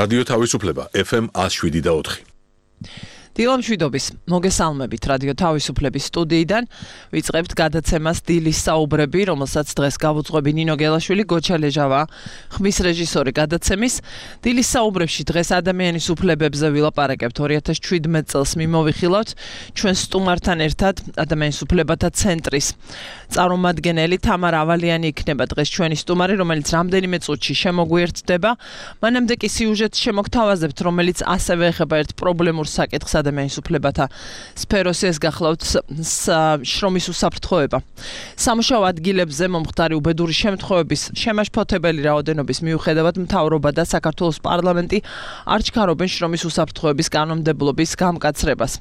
რადიო თავისუფლება FM 107.4. დილამშვიდობის მოგესალმებით რადიო თავისუფლების სტუდიიდან ვიწყებთ გადაცემას დილის საუბრები, რომელსაც დღეს გავუძღვები ნინო გელაშვილი, გოჩა ლეჟავა, ხმის რეჟისორი გადაცემის. დილის საუბრებში დღეს ადამიანის უფლებებზე ვილაპარაკებთ. 2017 წელს მიმოვიხილავთ ჩვენ სტუმართან ერთად ადამიანის უფლებათა ცენტრის წარმომადგენელი თამარ ავალიანი იქნება დღეს ჩვენი სტუმარი, რომელიც რამდენიმე წუთში შემოგვიერთდება. მანამდე კი სიუჟეტს შემოგთავაზებთ, რომელიც ასევე ეხება ერთ პრობლემურ საკითხს ადამიანის უფლებათა სფეროს, ეს გახლავთ შრომის უსაფრთხოება. სამუშაო ადგილებზე მომხდარი უბედური შემთხვევების შემაშფოთებელი რაოდენობის მიუხედავად მთავრობა და საქართველოს პარლამენტი არ ჩქარობენ შრომის უსაფრთხოების კანონმდებლობის გამკაცრებას.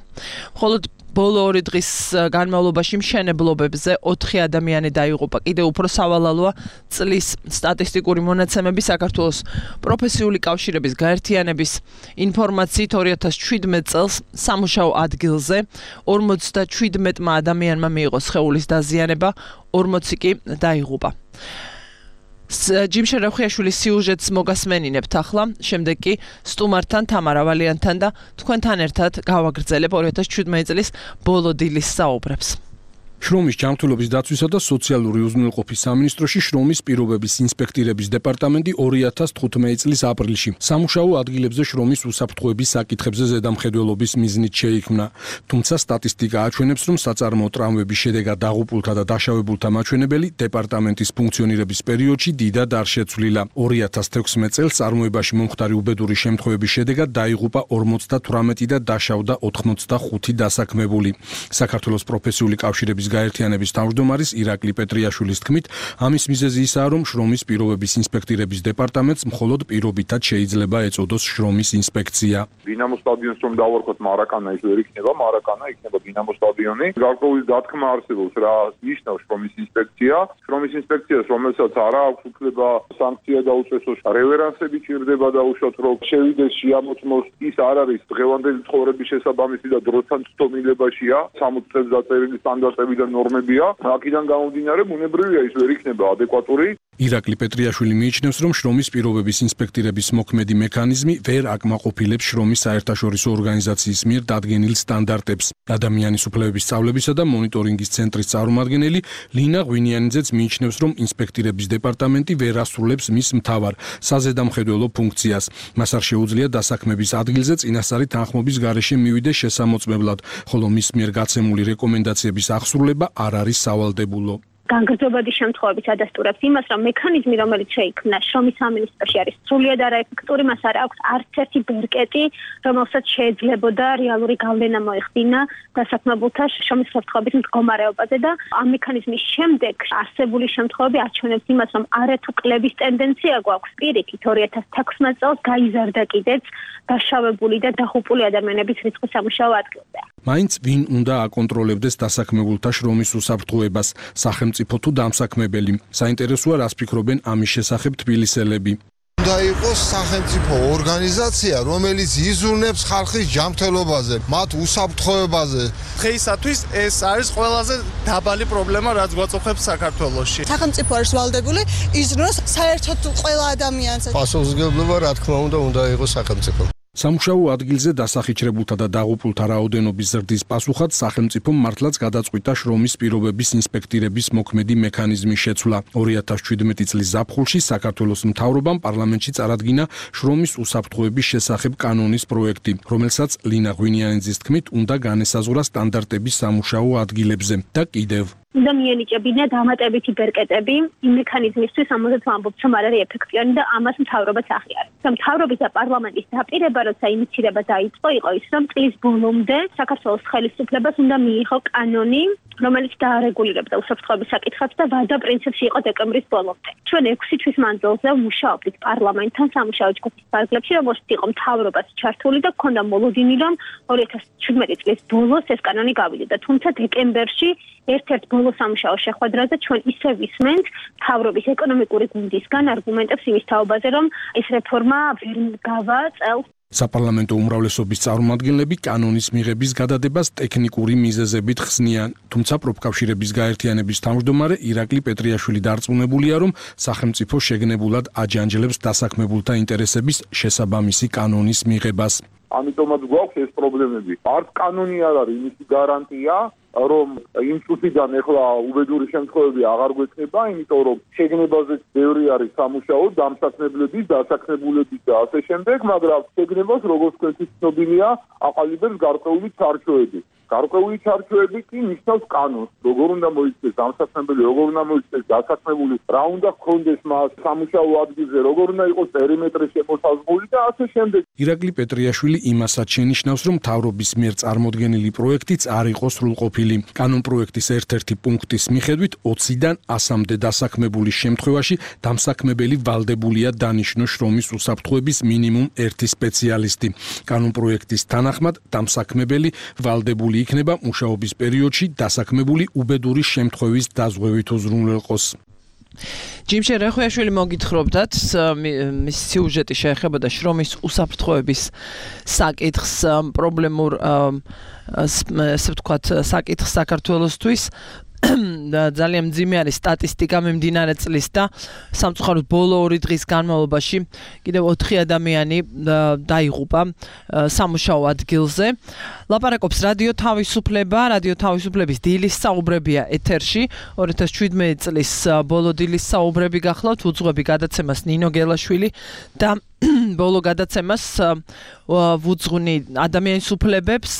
მხოლოდ ბოლო 2 დღის განმავლობაში მშენებლობებზე 4 ადამიანი დაიღუპა. კიდევ უფრო სავალალოა წლის სტატისტიკური მონაცემები. საქართველოს პროფესიული კავშირების გაერთიანების ინფორმაციით 2017 წელს სამუშაო ადგილზე 57 ადამიანმა მიიღო სხეულის დაზიანება, 40 კი დაიღუპა. ჯიმშე რევხიაშვილის სიუჟეტს მოგასმენინებთ ახლა, შემდეგ კი სტუმართან თამარ ავალიანთან და თქვენთან ერთად გავაგრძელებ 2017 წლის ბოლო დილის საუბრებს. შრომის ჯანმრთელობის დაცვისა და სოციალური უზრუნველყოფის სამინისტროში შრომის პირობების ინსპექტირების დეპარტამენტი 2015 წლის აპრილში სამუშაო ადგილებზე შრომის უსაფრთხოების საკითხებზე ზედამხედველობის მიზნით შეიქმნა. თუმცა სტატისტიკა აჩვენებს, რომ საწარმოო ტრავმების შედეგად დაღუპულთა და დაშავებულთა მაჩვენებელი დეპარტამენტის ფუნქციონირების პერიოდში დიდად არ შეცვლილა. 2016 წელს წარმოებაში მომხდარი უბედური შემთხვევების შედეგად დაიღუპა 58 და დაშავდა 85 დასაქმებული. საქართველოს პროფესიული კავშირების გაერთიანების თავმჯდომარის ირაკლი პეტრიაშვილის თქმით, ამის მიზეზი ისაა, რომ შრომის პირობების ინსპექტირების დეპარტამენტს მხოლოდ პირობითად შეიძლება ეწოდოს შრომის ინსპექცია. დინამო სტადიონს რომ დავარქოთ მარაკანა ის ვერ იქნება, მარაკანა იქნება დინამო სტადიონი. გარკვეული დათქმა არსებობს რა ნიშნავს შრომის ინსპექცია. შრომის ინსპექციას, რომელსაც არ აქვს უფლება სანქცია დაუწესოს, რევერანსები ჭირდება დაუშვათ, რომ შევიდეს შეამოწმოს, ის არ არის დღევანდელი ცხოვრების შესაბამისი და დროთან ცდომილებაშია. 60 წელს დაწერილი სტანდარტები და ნორმებია. აქედან გამომდინარე, ბუნებრივია ის ვერ იქნება ადეკვატური. ირაკლი პეტრიაშვილი მიიჩნევს, რომ შრომის პირობების ინსპექტირების მოქმედი მექანიზმი ვერ აკმაყოფილებს შრომის საერთაშორისო ორგანიზაციის მიერ დადგენილ სტანდარტებს. ადამიანის უფლებების სწავლებისა და მონიტორინგის ცენტრის წარმომადგენელი ლინა ღვინიანიძეც მიიჩნევს, რომ ინსპექტირების დეპარტამენტი ვერ ასრულებს მის მთავარ საზედამხედველო ფუნქციას. მას არ შეუძლია დასაქმების ადგილზე წინასწარი თანხმობის გარეშე მივიდეს შესამოწმებლად, ხოლო მის მიერ გაცემული რეკომენდაციების აღსრულება არ არის სავალდებულო. განგრძობადი შემთხვევების ადასტურებს იმას, რომ მექანიზმი, რომელიც შეიქმნა შრომის სამინისტროში არის სრულიად არაეფექტური, მას არ აქვს არც ერთი ბერკეტი, რომელსაც შეიძლებოდა რეალური გავლენა მოეხდინა დასაქმებულთა შრომის უსაფრთხოების მდგომარეობაზე და ამ მექანიზმის შემდეგ არსებული შემთხვევები აჩვენებს იმას, რომ არათუ კლების ტენდენცია გვაქვს. პირიქით 2016 წელს გაიზარდა კიდეც დაშავებული და დაღუპული ადამიანების რიცხვი სამუშაო ადგილზე. მაინც ვინ უნდა აკონტროლებდეს დასაქმებულთა შრომის უსაფრთხოებას, სახელმწიფო თუ დამსაქმებელი? საინტერესოა, რას ფიქრობენ ამის შესახებ თბილისელები. უნდა იყოს სახელმწიფო ორგანიზაცია, რომელიც იზრუნებს ხალხის ჯანმრთელობაზე, მათ უსაფრთხოებაზე. დღეისათვის ეს არის ყველაზე დაბალი პრობლემა, რაც გვაწუხებს საქართველოში. სახელმწიფო არის ვალდებული იზრუნოს საერთოდ ყველა ადამიანს. პასუხისმგებლობა, რა თქმა უნდა იყოს სახელმწიფო. სამუშაო ადგილზე დასახიჩრებულთა და დაღუპულთა რაოდენობის ზრდის პასუხად სახელმწიფომ მართლაც გადაწყვიტა შრომის პირობების ინსპექტირების მოქმედი მექანიზმის შეცვლა. 2017 წლის ზაფხულში საქართველოს მთავრობამ პარლამენტში წარადგინა შრომის უსაფრთხოების შესახებ კანონის პროექტი, რომელსაც ლინა ღვინიანიძის თქმით უნდა განესაზღვრა სტანდარტები სამუშაო ადგილებზე და კიდევ უნდა მიენიჭებინა დამატებითი ბერკეტები იმ მექანიზმისთვის, რომელზეც ვამბობთ, რომ არ არის ეფექტიანი და ამას მთავრობაც აღიარებს. მთავრობის და პარლამენტის დაპირება, როცა ინიციირება დაიწყო, იყო ის, რომ წლის ბოლომდე საქართველოს ხელისუფლებას უნდა მიიღო კანონი, რომელიც დაარეგულირებდა უსაფრთხოების საკითხებს და ვადა პრინციპში იყო დეკემბრის ბოლომდე. ჩვენ 6 თვის მანძილზე მუშაობდით პარლამენტთან სამუშაო ჯგუფის ფარგლებში, რომელშიც იყო მთავრობაც ჩართული და ჰქონდა მოლოდინი, რომ 2017 წლის ბოლოს ეს კანონი გავიდოდა. თუმცა დეკემბერში ერთ-ერთ ბოლო სამუშაო შეხვედრაზე ჩვენ ისე ვისმენთ მთავრობის ეკონომიკური გუნდისგან არგუმენტებს იმის თაობაზე, რომ ეს რეფორმა ვერ გავა წელს საპარლამენტო უმრავლესობის წარმომადგენლები კანონის მიღების გადადებას ტექნიკური მიზეზებით ხსნიან, თუმცა პროფკავშირების გაერთიანების თავმჯდომარე ირაკლი პეტრიაშვილი დარწმუნებულია, რომ სახელმწიფო შეგნებულად აჯანჯლებს დასაქმებულთა ინტერესების შესაბამისი კანონის მიღებას. ამიტომაც გვაქვს ეს პრობლემები. არც კანონი არ არის იმისი გარანტია, რომ იმ წუთიდან ეხლა უბედური შემთხვევები აღარ გვექნება, იმიტომ რომ შეგნებაზეც ბევრი არის სამუშაო, დამსაქმებლების, დასაქმებულების და ასე შემდეგ, მაგრამ შეგნებას როგორც თქვენთვის ცნობილია, აყალიბებს გარკვეული ჩარჩოები. გარკვეული ჩარჩოები კი ნიშნავს კანონს, როგორ უნდა მოიქცეს დამსაქმებელი, როგორ უნდა მოიქცეს დასაქმებული, რა უნდა ჰქონდეს მას სამუშაო ადგილზე, როგორ უნდა იყოს პერიმეტრი შემოსაზღვრული და ასე შემდეგ. ირაკლი პეტრიაშვილი იმასაც შენიშნავს, რომ მთავრობის მიერ წარმოდგენილი პროექტიც არ იყო სრულყოფილი. კანონპროექტის ერთ-ერთი პუნქტის მიხედვით 20-დან 100-მდე დასაქმებულის შემთხვევაში დამსაქმებელი ვალდებულია დანიშნოს შრომის უსაფრთხოების მინიმუმ 1 სპეციალისტი. კანონპროექტის თანახმად დამსაქმებელი ვალდებული იქნება მუშაობის პერიოდში დასაქმებული უბედური შემთხვევის დაზღვევით უზრუნველყოს. ჯიმშე რეხუიაშვილი მოგითხრობდათ, მის სიუჟეტი შეეხებოდა შრომის უსაფრთხოების საკითხს, პრობლემურ ასე ვთქვათ, საკითხს საქართველოსთვის. ძალიან მძიმე არის სტატისტიკა მიმდინარე წლის და სამწუხაროდ ბოლო 2 დღის განმავლობაში კიდევ 4 ადამიანი დაიღუპა სამუშაო ადგილზე. ლაპარაკობს რადიო თავისუფლება, რადიო თავისუფლების დილის საუბრებია ეთერში. 2017 წლის ბოლო დილის საუბრები გახლავთ, უძღვები გადაცემას ნინო გელაშვილი და ბოლო გადაცემას ვუძღვნი ადამიანის უფლებებს,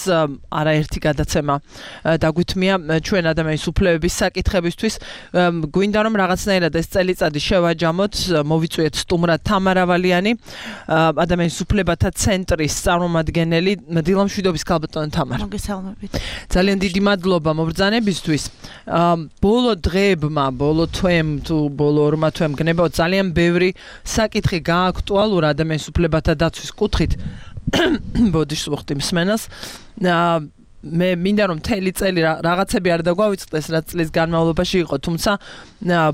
არაერთი გადაცემა დაგვითმია ჩვენ ადამიანის უფლებების საკითხებისთვის. გვინდა რომ რაღაცნაირად ეს წელიწადი შევაჯამოთ, მოვიწვიეთ სტუმრად თამარა ვალიანი, ადამიანის უფლებათა ცენტრის წარმომადგენელი. დილამშვიდობის ქალბატონო თამარა. მოგესალმებით. ძალიან დიდი მადლობა მობრძანებისთვის. ბოლო დღეებმა, ბოლო თვემ თუ ბოლო 2 თვემ გნებავთ ძალიან ბევრი საკითხი გააქტუალურა ადამიანის უფლებათა დაცვის კუთხით. ბოდიშს ვუხდი მსმენელს. მე მინდა რომ მთელი წელი რაღაცები არ დაგვავიწყდეს, რაც წლის განმავლობაში იყო, თუმცა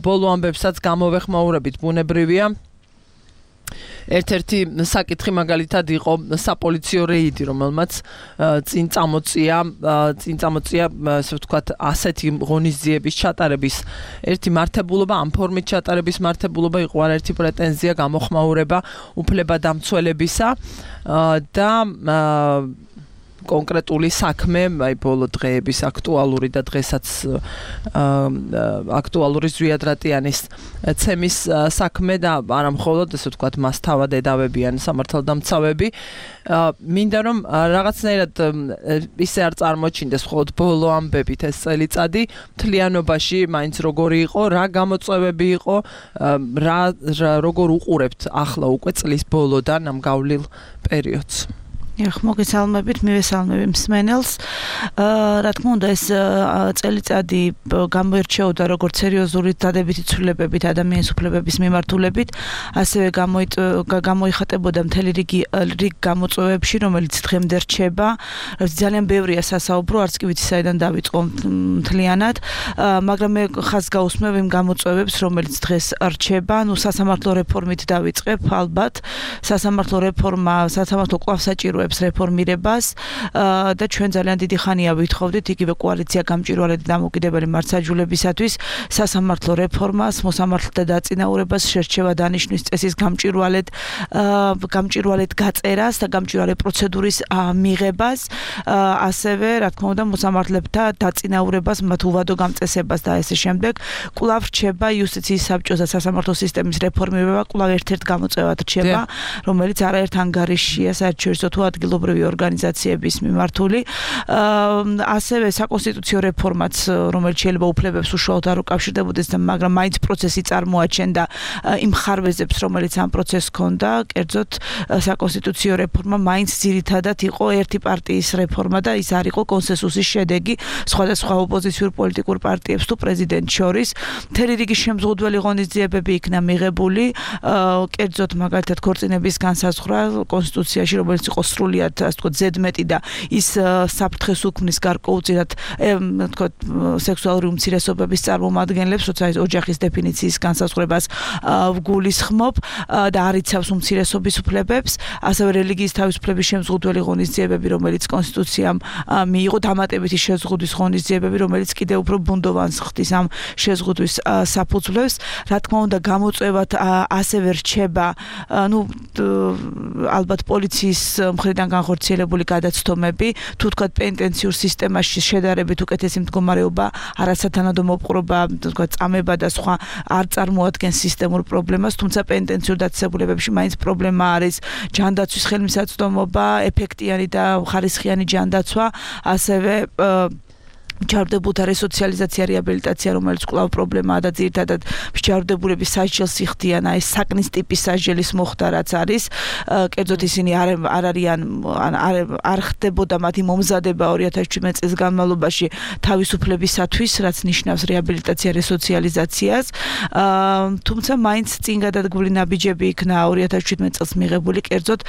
ბოლო ამბებსაც გამოვეხმაურებით ბუნებრივია. ერთ-ერთი საკითხი მაგალითად იყო საპოლიციო რეიდი, რომელმაც წინ წამოწია, ასე ვთქვათ, ასეთი ღონისძიების ჩატარების ერთი მართებულობა, ამ ფორმით ჩატარების მართებულობა იყო არაერთი პრეტენზია, გამოხმაურება უფლებადამცველებისა და კონკრეტული საქმე, აი ბოლო დღეების აქტუალური და დღესაც აქტუალური ზვიადრატიანის ცემის საქმე და არა მხოლოდ ასე ვთქვათ, მას თავად ედავებიან სამართალდამცავები. მინდა რომ რაღაცნაირად ისე არ წარმოჩინდეს მხოლოდ ბოლო ამბებით ეს წელიწადი, მთლიანობაში მაინც როგორი იყო, რა გამოწვევები იყო, როგორ უყურებთ ახლა უკვე წლის ბოლოდან ამ გავლილ პერიოდს. მოგესალმებით, მივესალმები მსმენელს. რა თქმა უნდა, ეს წელიწადი გამოირჩეოდა როგორც სერიოზული დადებითი ცვლილებებით ადამიანის უფლებების მიმართულებით, ასევე გამოიხატებოდა მთელი რიგი გამოწვევებში, რომელიც დღემდე რჩება. ძალიან ბევრია სასაუბრო, არც კი ვიცი საიდან დავიწყო მთლიანად, მაგრამ მე ხაზს გაუსმევ იმ გამოწვევებს, რომელიც დღეს რჩება. სასამართლო რეფორმით დავიწყებ, ალბათ. სასამართლო რეფორმა, სასამართლო კვლავ საჭიროებს რეფორმირებას და ჩვენ ძალიან დიდი ხანია ვითხოვდით იგივე კოალიცია გამჭვირვალედ დამოუკიდებელი მართლმსაჯულებისათვის სასამართლო რეფორმას, მოსამართლეთა დაწინაურებას, შერჩევა დანიშვნის წესის გამჭვირვალედ გაწერას და გამჭვირვალე პროცედურის მიღებას, ასევე რა თქმა უნდა მოსამართლეთა დაწინაურებას, მათ უვადო გამწესებას და ასე შემდეგ. კვლავ რჩება იუსტიციის საბჭოს და სასამართლო სისტემის რეფორმირება, კვლავ ერთ-ერთ გამოწვევად რჩება, რომელიც არაერთ ანგარიშია საერთაშორისო თუ ადგილობრივი ორგანიზაციების მიმართული. ასევე საკონსტიტუციო რეფორმაც, რომელიც შეიძლება უფლებებს უშუალოდ არ უკავშირდებოდეს, მაგრამ მაინც პროცესი წარმოაჩენდა იმ ხარვეზებს, რომელიც ამ პროცესს ჰქონდა. კერძოდ საკონსტიტუციო რეფორმა მაინც ძირითადად იყო ერთი პარტიის რეფორმა და ის არ იყო კონსენსუსის შედეგი სხვადასხვა ოპოზიციურ პოლიტიკურ პარტიებს თუ პრეზიდენტს შორის. მთელი რიგი შემზღუდველი ღონისძიებები იქნა მიღებული, კერძოდ მაგალითად ქორწინების განსაზღვრა კონსტიტუციაში, რომელიც იყო სრულიად ასე ვთქვათ ზედმეტი და ის საფრთხეს უქმნის გარკვეულწილად თქო სექსუალური უმცირესობების წარმომადგენლებს, როცა ის ოჯახის დეფინიციის განსაზღვრებას გულისხმობ და არ იცავს უმცირესობის უფლებებს, ასევე რელიგიის თავისუფლების შემზღუდველი ღონისძიებები, რომელიც კონსტიტუციამ მიიღო, დამატებითი შეზღუდვის ღონისძიებები, რომელიც კიდევ უფრო ბუნდოვანს ხდის ამ შეზღუდვის საფუძვლებს. Რა თქმა უნდა, გამოწვევად ასევე რჩება, ალბათ პოლიციის მხრიდან განხორციელებული გადაცდომები, თუ თქვათ პენტენციურ სისტემაში შედარებით უკეთესი მდგომარეობა, არასათანადო მოპყრობა, თქვათ წამება და სხვა არ წარმოადგენს სისტემურ პრობლემას, თუმცა პენტენციურ დაწესებულებებში მაინც პრობლემა არის ჯანდაცვის ხელმისაწვდომობა, ეფექტიანი და ხარისხიანი ჯანდაცვა, ასევე მჯავრდებულთა რესოციალიზაცია, რეაბილიტაცია, რომელიც კვლავ პრობლემაა და ძირითადად მჯავრდებულების სასჯელს იხდიან, აი საკნის ტიპის სასჯელის მოხდა რაც არის, კერძოდ ისინი არ ხდებოდა მათი მომზადება 2017 წლის განმავლობაში თავისუფლებისათვის, რაც ნიშნავს რეაბილიტაცია, რესოციალიზაციას, თუმცა მაინც წინ გადადგმული ნაბიჯები იქნა 2017 წელს მიღებული, კერძოდ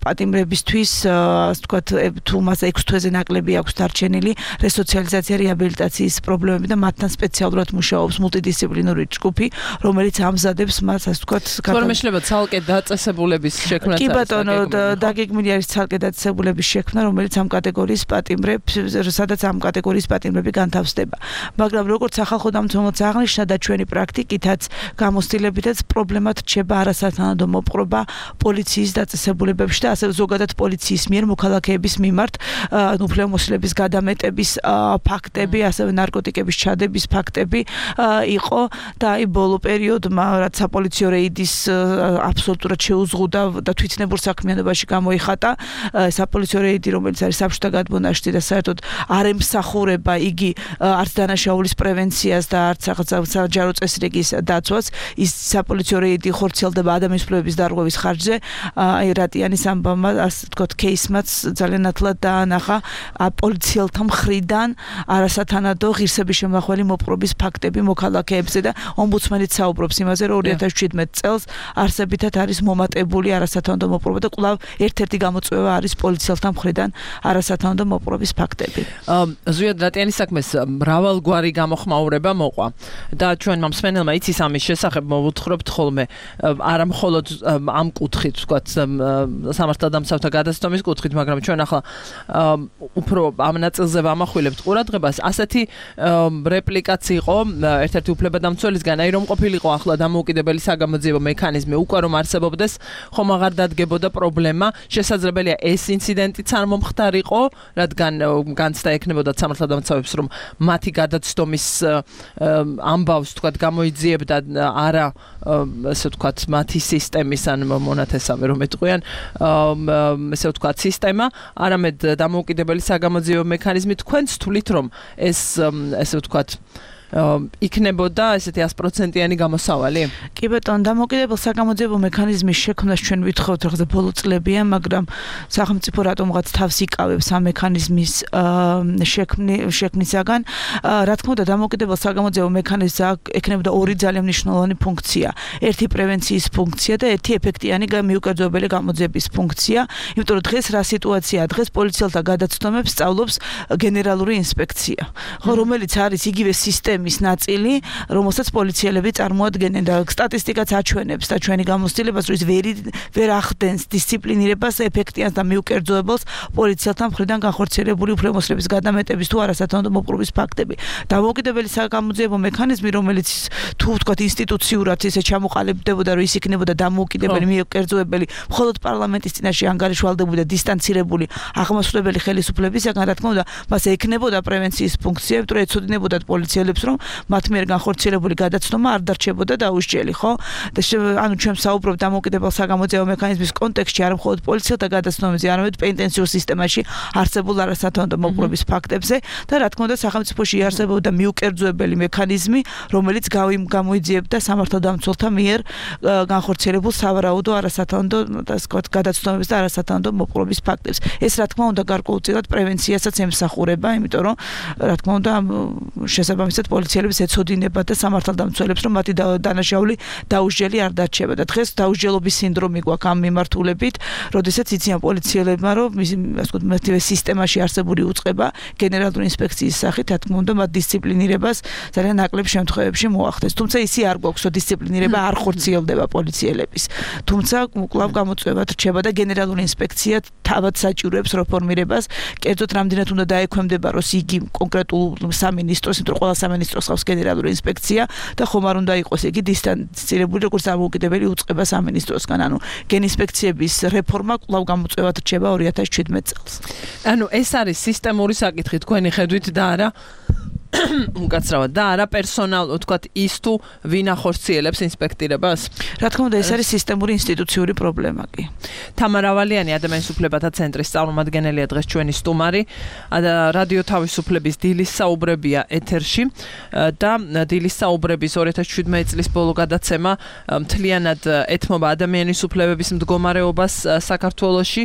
პატიმრებისთვის, ასე ვთქვათ, თუ მას 6 თვეზე ნაკლები აქვს დარჩენილი რესოციალიზაცია რეაბილიტაციის პრობლემები და მათთან სპეციალურად მუშაობს მულტიდისციპლინური ჯგუფი, რომელიც ამზადებს მას, ასე ვთქვათ, თორმე შეიძლება ცალკე დაწესებულების შექმნაც კი ბატონო, დაგეგმილი არის ცალკე დაწესებულების შექმნა, რომელიც ამ კატეგორიის პატიმრებს, სადაც ამ კატეგორიის პატიმრები განთავსდება. მაგრამ როგორც სახალხო დამცველს აღნიშნა და ჩვენი პრაქტიკითაც გამოცდილებითაც პრობლემად რჩება არასათანადო მოპყრობა პოლიციის დაწესებულებებში და ასევე ზოგადად პოლიციის მიერ მოქალაქეების მიმართ უფლებამოსილების გადამეტების ფაქტები, ასევე ნარკოტიკების ჩადების ფაქტები იყო და აი ბოლო პერიოდმა, რაც საპოლიციო რეიდის აბსოლუტურად შეუზღუდა და თვითნებურ საქმიანობაში გამოიხატა, საპოლიციო რეიდი, რომელიც არის საბჭოთა გადმონაშთი და საერთოდ არ ემსახურება იგი არც დანაშაულის პრევენციას და არც საჯარო წესრიგის დაცვას, ის საპოლიციო რეიდი ხორციელდება ადამიანის უფლებების დარღვევის ხარჯზე, აი რატიანის ამბავმა, ასე ვთქვათ, кейსმაც ძალიან ნათლად დაანახა პოლიციელთა მხრიდან არასათანადო ღირსების შემახველი მოპყრობის ფაქტები მოქალაქეებზე და ომბუდსმენიც საუბრობს იმაზე, რომ 2017 წელს არსებითად არის მომატებული არასათანადო მოპყრობა და კვლავ ერთ-ერთი გამოწვევა არის პოლიციელთა მხრიდან არასათანადო მოპყრობის ფაქტები. ზვიად რატიანის საქმეს მრავალგვარი გამოხმაურება მოყვა და ჩვენმა მსმენელმა იცის ამის შესახებ მოვუთხრობთ ხოლმე არა მხოლოდ ამ კუთხით, ვთქვათ, სამართალდამცავთა გადაცდომის კუთხით, მაგრამ ჩვენ ახლა უფრო ამ ნაწილზე ვამახვილებთ ყურადღებას. ასეთი რეპლიკაც იყო ერთ-ერთი უფლებადამცველისგან, აი რომ ყოფილიყო ახლა დამოუკიდებელი საგამოძიებო მექანიზმი, უკვე რომ არსებობდეს, ხომ აღარ დადგებოდა პრობლემა, შესაძლებელია ეს ინციდენტიც არ მომხდარიყო, რადგან განცდა ექნებოდა სამართალდამცავებს, რომ მათი გადაცდომის ამბავს, თქვათ, გამოიძიებდა არა, ესე ვთქვათ, მათი სისტემის ან მონათესავე რომ ეტყვიან, ესე ვთქვათ, სისტემა, არამედ დამოუკიდებელი საგამოძიებო მექანიზმი. თქვენც თვლით, რომ ეს ესე ვთქვათ იქნებოდა ესეთი 100%-იანი გამოსავალი? კი ბატონო, დამოუკიდებელ საგამოძიებო მექანიზმის შექმნას ჩვენ ვითხოვთ რაღაცა ბოლო წლებია, მაგრამ სახელმწიფო რატომღაც თავს იკავებს ამ მექანიზმის შექმნისაგან. რა თქმა უნდა, დამოუკიდებელ საგამოძიებო მექანიზმს ექნებოდა ორი ძალიან მნიშვნელოვანი ფუნქცია. ერთი პრევენციის ფუნქცია და ერთი ეფექტიანი მიუკერძოებელი გამოძიების ფუნქცია. იმიტომ რომ დღეს რა სიტუაციაა? დღეს პოლიციელთა გადაცდომებს სწავლობს გენერალური ინსპექცია, რომელიც არის იგივე სისტემის ნაწილი, რომელსაც პოლიციელები წარმოადგენენ და სტატისტიკაც აჩვენებს და ჩვენი გამოცდილებას, რომ ის ვერ ახდენს დისციპლინირებას, ეფექტიანს და მიუკერძოებელს პოლიციელთა მხრიდან განხორციელებული უფლებამოსილების გადამეტების თუ არასათანადო მოპყრობის ფაქტები. დამოუკიდებელი საგამოძიებო მექანიზმი, რომელიც თუ ვთქვათ ინსტიტუციურად ისე ჩამოყალიბდებოდა, რომ ის იქნებოდა დამოუკიდებელი, მიუკერძოებელი, მხოლოდ პარლამენტის წინაშე ანგარიშვალდებული და დისტანცირებული აღმასრულებელი ხელისუფლებისაგან, რა თქმა უნდა, მას ექნებოდა პრევენციის ფუნქცია, იმიტომ რომ ეცოდინებოდათ პოლიციელებს, რომ მათ მიერ განხორციელებული გადაცდომა არ დარჩებოდა დაუსჯელი, ხო? და ანუ ჩვენ საუბრობთ დამოუკიდებელ საგამოძიებო მექანიზმის კონტექსტში, არა მხოლოდ პოლიციელთა გადაცდომებზე, არამედ პენტენციურ სისტემაში არსებულ არასათანადო მოპყრობის ფაქტებზე და რა თქმა უნდა, სახელმწიფოში არსებობდა მიუკერძოებელი მექანიზმი, რომელიც გამოიძიებდა სამართალდამცველთა მიერ განხორციელებულ სავარაუდო არასათანადო გადაცდომებს და არასათანადო მოპყრობის ფაქტებს. ეს რა თქმა უნდა გარკვეულწილად პრევენციასაც ემსახურება, იმიტომ რომ რა თქმა უნდა შესაბამისად პოლიციელებს ეცოდინება და სამართალდამცველებს, რომ მათი დანაშაული დაუსჯელი არ დარჩება და დღეს დაუსჯელობის სინდრომი გვაქვს ამ მიმართულებით, როდესაც იციან პოლიციელებმა, რომ ასე ვთქვათ, მათივე სისტემაში არსებული უწყება გენერალური ინსპექციის სახით, რა თქმა უნდა, მათ დისციპლინირებას ძალიან ნაკლებ შემთხვევებში მოახდენს. თუმცა ისი არ გვაქვს, რომ დისციპლინირება არ ხორციელდება პოლიციელების. თუმცა კვლავ გამოწვევად რჩება და გენერალური ინსპექცია თავად საჭიროებს რეფორმირებას, კერძოდ რამდენად უნდა დაექვემდებაროს იგი კონკრეტულ სამინისტროს, იმიტომ რომ ყველა სამინისტროს ყავს გენერალური ინსპექცია და ხომ არ უნდა იყოს იგი დისტანცირებული როგორც დამოუკიდებელი უწყება სამინისტროსგან. ანუ გენინსპექციების რეფორმა კვლავ გამოწვევად რჩება 2017 წელს. ანუ ეს არის სისტემური საკითხი თქვენი ხედვით და არა უკაცრავად და არა პერსონალ, თქვათ, ის თუ ვინ ახორციელებს ინსპექტირებას? რა თქმა უნდა, ეს არის სისტემური ინსტიტუციური პრობლემა კი. თამარ ავალიანი, ადამიანის უფლებათა ცენტრის წარმომადგენელია დღეს ჩვენი სტუმარი. რადიო თავისუფლების დილის საუბრებია ეთერში და დილის საუბრების 2017 წლის ბოლო გადაცემა მთლიანად ეთმობა ადამიანის უფლებების მდგომარეობას საქართველოში.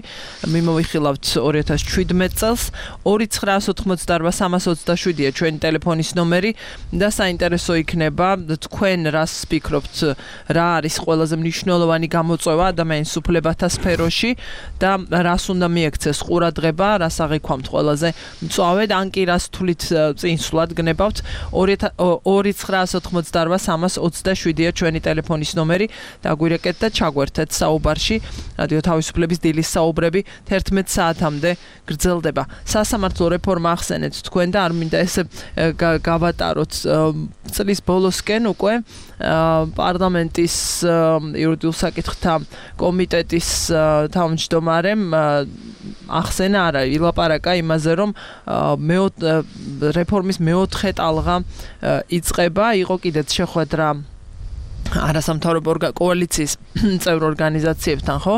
მიმოვიხილავთ 2017 წელს 2988-327-ია ჩვენი ტელეფონის ნომერი და საინტერესო იქნება თქვენ რას ფიქრობთ, რა არის ყველაზე მნიშვნელოვანი გამოწვევა ადამიანის უფლებათა სფეროში და რას უნდა მიექცეს ყურადღება, რას აღიქვამთ ყველაზე მწვავედ, ან კი რას თვლით წინსვლად გნებავთ. 2988-327-ია ჩვენი ტელეფონის ნომერი. დაგვირეკეთ და ჩაგვერთეთ საუბარში. რადიო თავისუფლების დილის საუბრები 11 საათამდე გრძელდება. სასამართლო რეფორმა ახსენეთ თქვენ და არ მინდა ესე გავატაროთ წლის ბოლოსკენ უკვე პარლამენტის იურიდიულ საკითხთა კომიტეტის თავმჯდომარემ ახსენა არა ილაპარაკა იმაზე, რომ რეფორმის მეოთხე ტალღა იწყება, იყო კიდეც შეხვედრა არასამთავრობო კოალიციის წევრ ორგანიზაციებთან, ხო?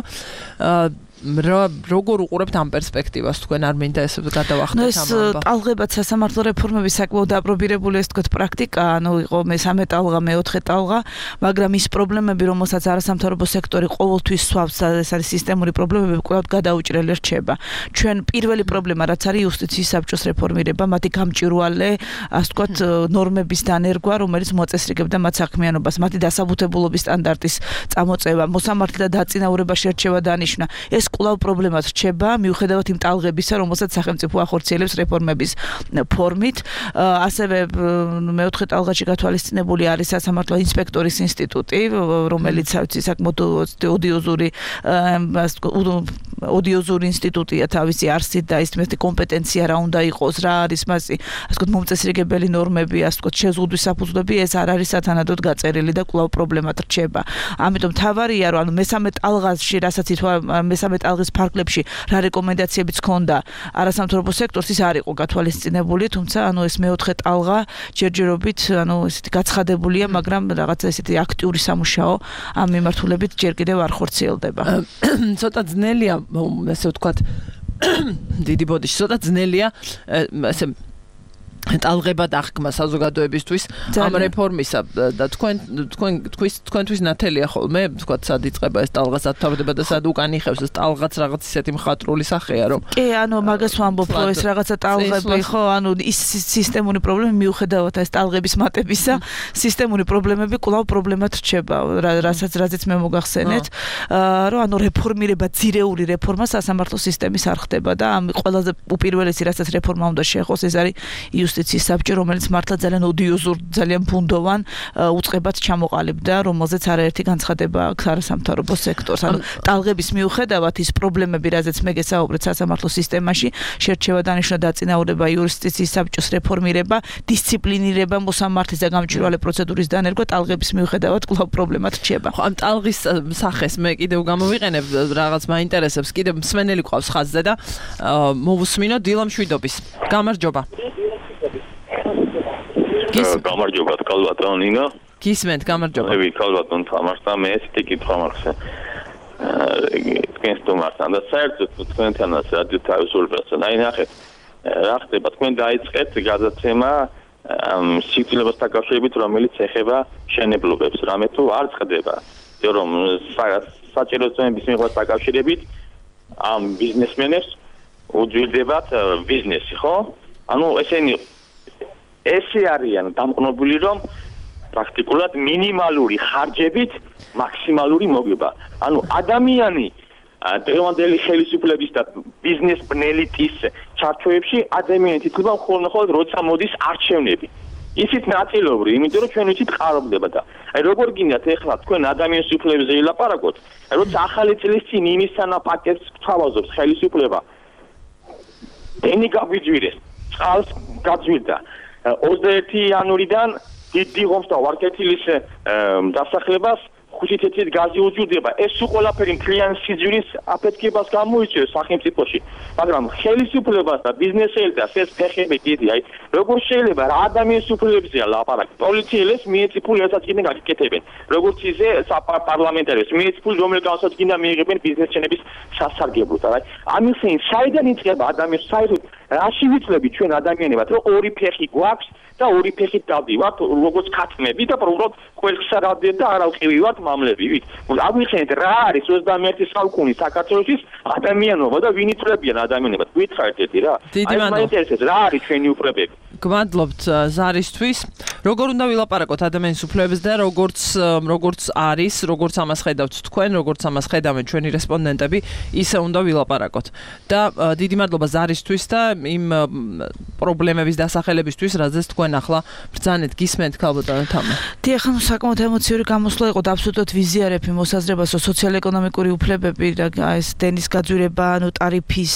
როგორ უყურებთ ამ პერსპექტივას თქვენ არ მინდა ესე გადავახტეთ ამ ამბავს? ეს ტალღებად სასამართლო რეფორმების საკმაოდ დაპრობირებული ეს თქვათ პრაქტიკა, ანუ იყო მესამე ტალღა, მეოთხე ტალღა, მაგრამ ის პრობლემები, რომელსაც არასამთავრობო სექტორი ყოველთვის სვავს, ეს არის სისტემური პრობლემები, კვლავ გადაუჭრელი რჩება. ჩვენ პირველი პრობლემა, რაც არის იუსტიციის საბჭოს რეფორმირება, მათი გამჭვირვალე, ასე ვთქვათ, ნორმების დანერგვა, რომელიც მოწესრიგებდა მათ საქმიანობას, მათი დასაბუთებულობის სტანდარტის წამოწევა, მოსამართლე და დაწინაურება შერჩევა დანიშნა. ეს კვლავ პრობლემად რჩება, მიუხედავად იმ ტალღებისა, რომელსაც სახელმწიფო ახორციელებს რეფორმების ფორმით. ასევე მეოთხე ტალღაში გათვალისწინებული არის სასამართლო ინსპექტორის ინსტიტუტი, რომელიც საკმაოდ ოდიოზური ინსტიტუტია თავისი არსით და ის მეტი კომპეტენცია რა უნდა იყოს, რა არის მასი, ასე ვთქვათ, მომწესრიგებელი ნორმები, ასე ვთქვათ, შეზღუდვის საფუძვლები, ეს არ არის სათანადოდ გაწერილი და კვლავ პრობლემად რჩება. ამიტომ თავარია, რომ ანუ მესამე ტალღაში, რასაც ითქვა მესამე ტალღის ფარგლებში რა რეკომენდაციებიც ჰქონდა არასამთავრობო სექტორს, ის არ იყო გათვალისწინებული, თუმცა ანუ ეს მეოთხე ტალღა ჯერჯერობით ანუ ესეთი გაცხადებულია, მაგრამ რაღაცა ესეთი აქტიური სამუშაო ამ მიმართულებით ჯერ კიდევ არ ხორციელდება. ცოტა ძნელია, ესე ვთქვათ, დიდი ბოდიში, ცოტა ძნელია ესე ტალღება დახკმა საზოგადოებისთვის ამ რეფორმისა და თქვენთვის ნათელია ხოლმე, თქვათ, სად იწყება ეს ტალღა, სად თავდება და სად უკან იხევს ეს ტალღაც რაღაც ისეთი მხატვრული სახეა, რომ კი, ანუ მაგას ვამბობ, რომ ეს რაღაცა ტალღები, ხო, ანუ ის სისტემური პრობლემები მიუხედავად ეს ტალღების მატებისა, სისტემური პრობლემები კვლავ პრობლემად რჩება, რაზეც მე მოგახსენეთ, რომ ანუ რეფორმირება, ძირეული რეფორმა სასამართლო სისტემის არ ხდება და ამ ყველაზე უპირველესი, რასაც რეფორმა უნდა შეეხოს, ეს არის იუსტიციის საბჭო, რომელიც მართლა ძალიან ოდიოზურ, ძალიან ბუნდოვან უწყებად ჩამოყალიბდა, რომელზეც არაერთი განცხადება აქვს არასამთავრობო სექტორს. ანუ ტალღების მიუხედავად ის პრობლემები, რაზეც მე გესაუბრეთ სასამართლო სისტემაში, შერჩევა დანიშნა დაწინაურება, იუსტიციის საბჭოს რეფორმირება, დისციპლინირება, მოსამართლის და გამჭვირვალე პროცედურის დანერგვა, ტალღების მიუხედავად კვლავ პრობლემად რჩება. ხო, ამ ტალღის სახეს მე კიდევ გამოვიყენებ, რაღაც მაინტერესებს, კიდევ მსმენელი ყავს ხაზზე და მოვუსმინო დილა მშვიდობის. გამარჯობა. გამარჯობა, კალბატონ ნინო. გისმენთ, გამარჯობა. მე კალბატონ თამარსა, მე ესეთი კითხვა მაქვს. თქვენ სტუმართან და საერთოდ თქვენთანაც რადიო თავისუფლებასთან. აი ნახეთ, რა ხდება, თქვენ დაიწყეთ გადაცემა სიკვდილებას დაკავშირებით, რომელიც ეხება შენებლობებს, რამე თუ არ წყდება. რომ საჭირო წვენების მიღებას დაკავშირებით ამ ბიზნესმენებს უძვირდებათ ბიზნესი, ხო? ანუ ესენი ესე არიან დამყნობილი, რომ პრაქტიკულად მინიმალური ხარჯებით მაქსიმალური მოგება. ანუ ადამიანი დღევანდელი ხელისუფლების და ბიზნეს პნელიტის ჩარჩოებში ადამიანი თითქოს მხოლოდ როცა მოდის არჩევნები. ისიც ნაწილობრივ, იმიტომ რომ ჩვენ ვიცით ყარობდება და აი როგორ გინდათ ეხლა თქვენ ადამიანის უფლებებზე ილაპარაკოთ, როცა ახალი წლის წინ იმისთანა პაკეტს გვთავაზობს ხელისუფლება. ენი გაგვიძვირეს, წყალს გაძვირდა. 21 იანვრიდან დიდი ღომს და ვარკეთილის დასახლებას 5 თეთრით გაზი უჯურდება. ეს ყველაფერი მთლიან სიძვირის აფეთქებას გამოიწვევს სახელმწიფოში. მაგრამ ხელისუფლებას და ბიზნესელებს ეს ფეხები დიდი, აი როგორ შეიძლება რა ადამიანის უფლებებზეა ლაპარაკი? პოლიციელებს მიეციფული ესაცინე გაკეთებენ. როგორც ისე პარლამენტარებს მიეციფული რომელ განსაცდელად მიიღებენ ბიზნესჩენების სასარგებლოდ. აი ამისინ საიდან იწყება ადამიანის საერთოდ რაში ვიცლები ჩვენ ადამიანებად, რომ ორი ფეხი გვაქვს და ორი ფეხით დავდივართ როგორც ქათმები და უბრალოდ ყველხსა დავდივართ და არავყივი ვართ მამლებივით. აღვიხსენეთ რა არის 21 საუკუნის საქართველოს ადამიანობა და ვინ იწლებიან ადამიანებად. გითხარით ერთი რა. დიდი მაინტერესებს რა არის ჩვენი უფლებები. გმადლობთ ზარისთვის. როგორ უნდა ვილაპარაკოთ ადამიანის უფლებებზე და როგორც არის, როგორც ამას ხედავთ თქვენ, როგორც ამას ხედავენ ჩვენი რესპონდენტები, ისე უნდა ვილაპარაკოთ. და დიდი მადლობა ზარისთვის და იმ პრობლემების დასახელებისთვის, რაზეც თქვენ ახლა ბრძანეთ, გისმენთ ქალბატონო თამა. დიახ, საკმაოდ ემოციური გამოსვლა იყო და აბსოლუტურად ვიზიარებ იმ მოსაზრებას, რომ სოციალ-ეკონომიკური უფლებები და ეს დენის გაძვირება, ტარიფის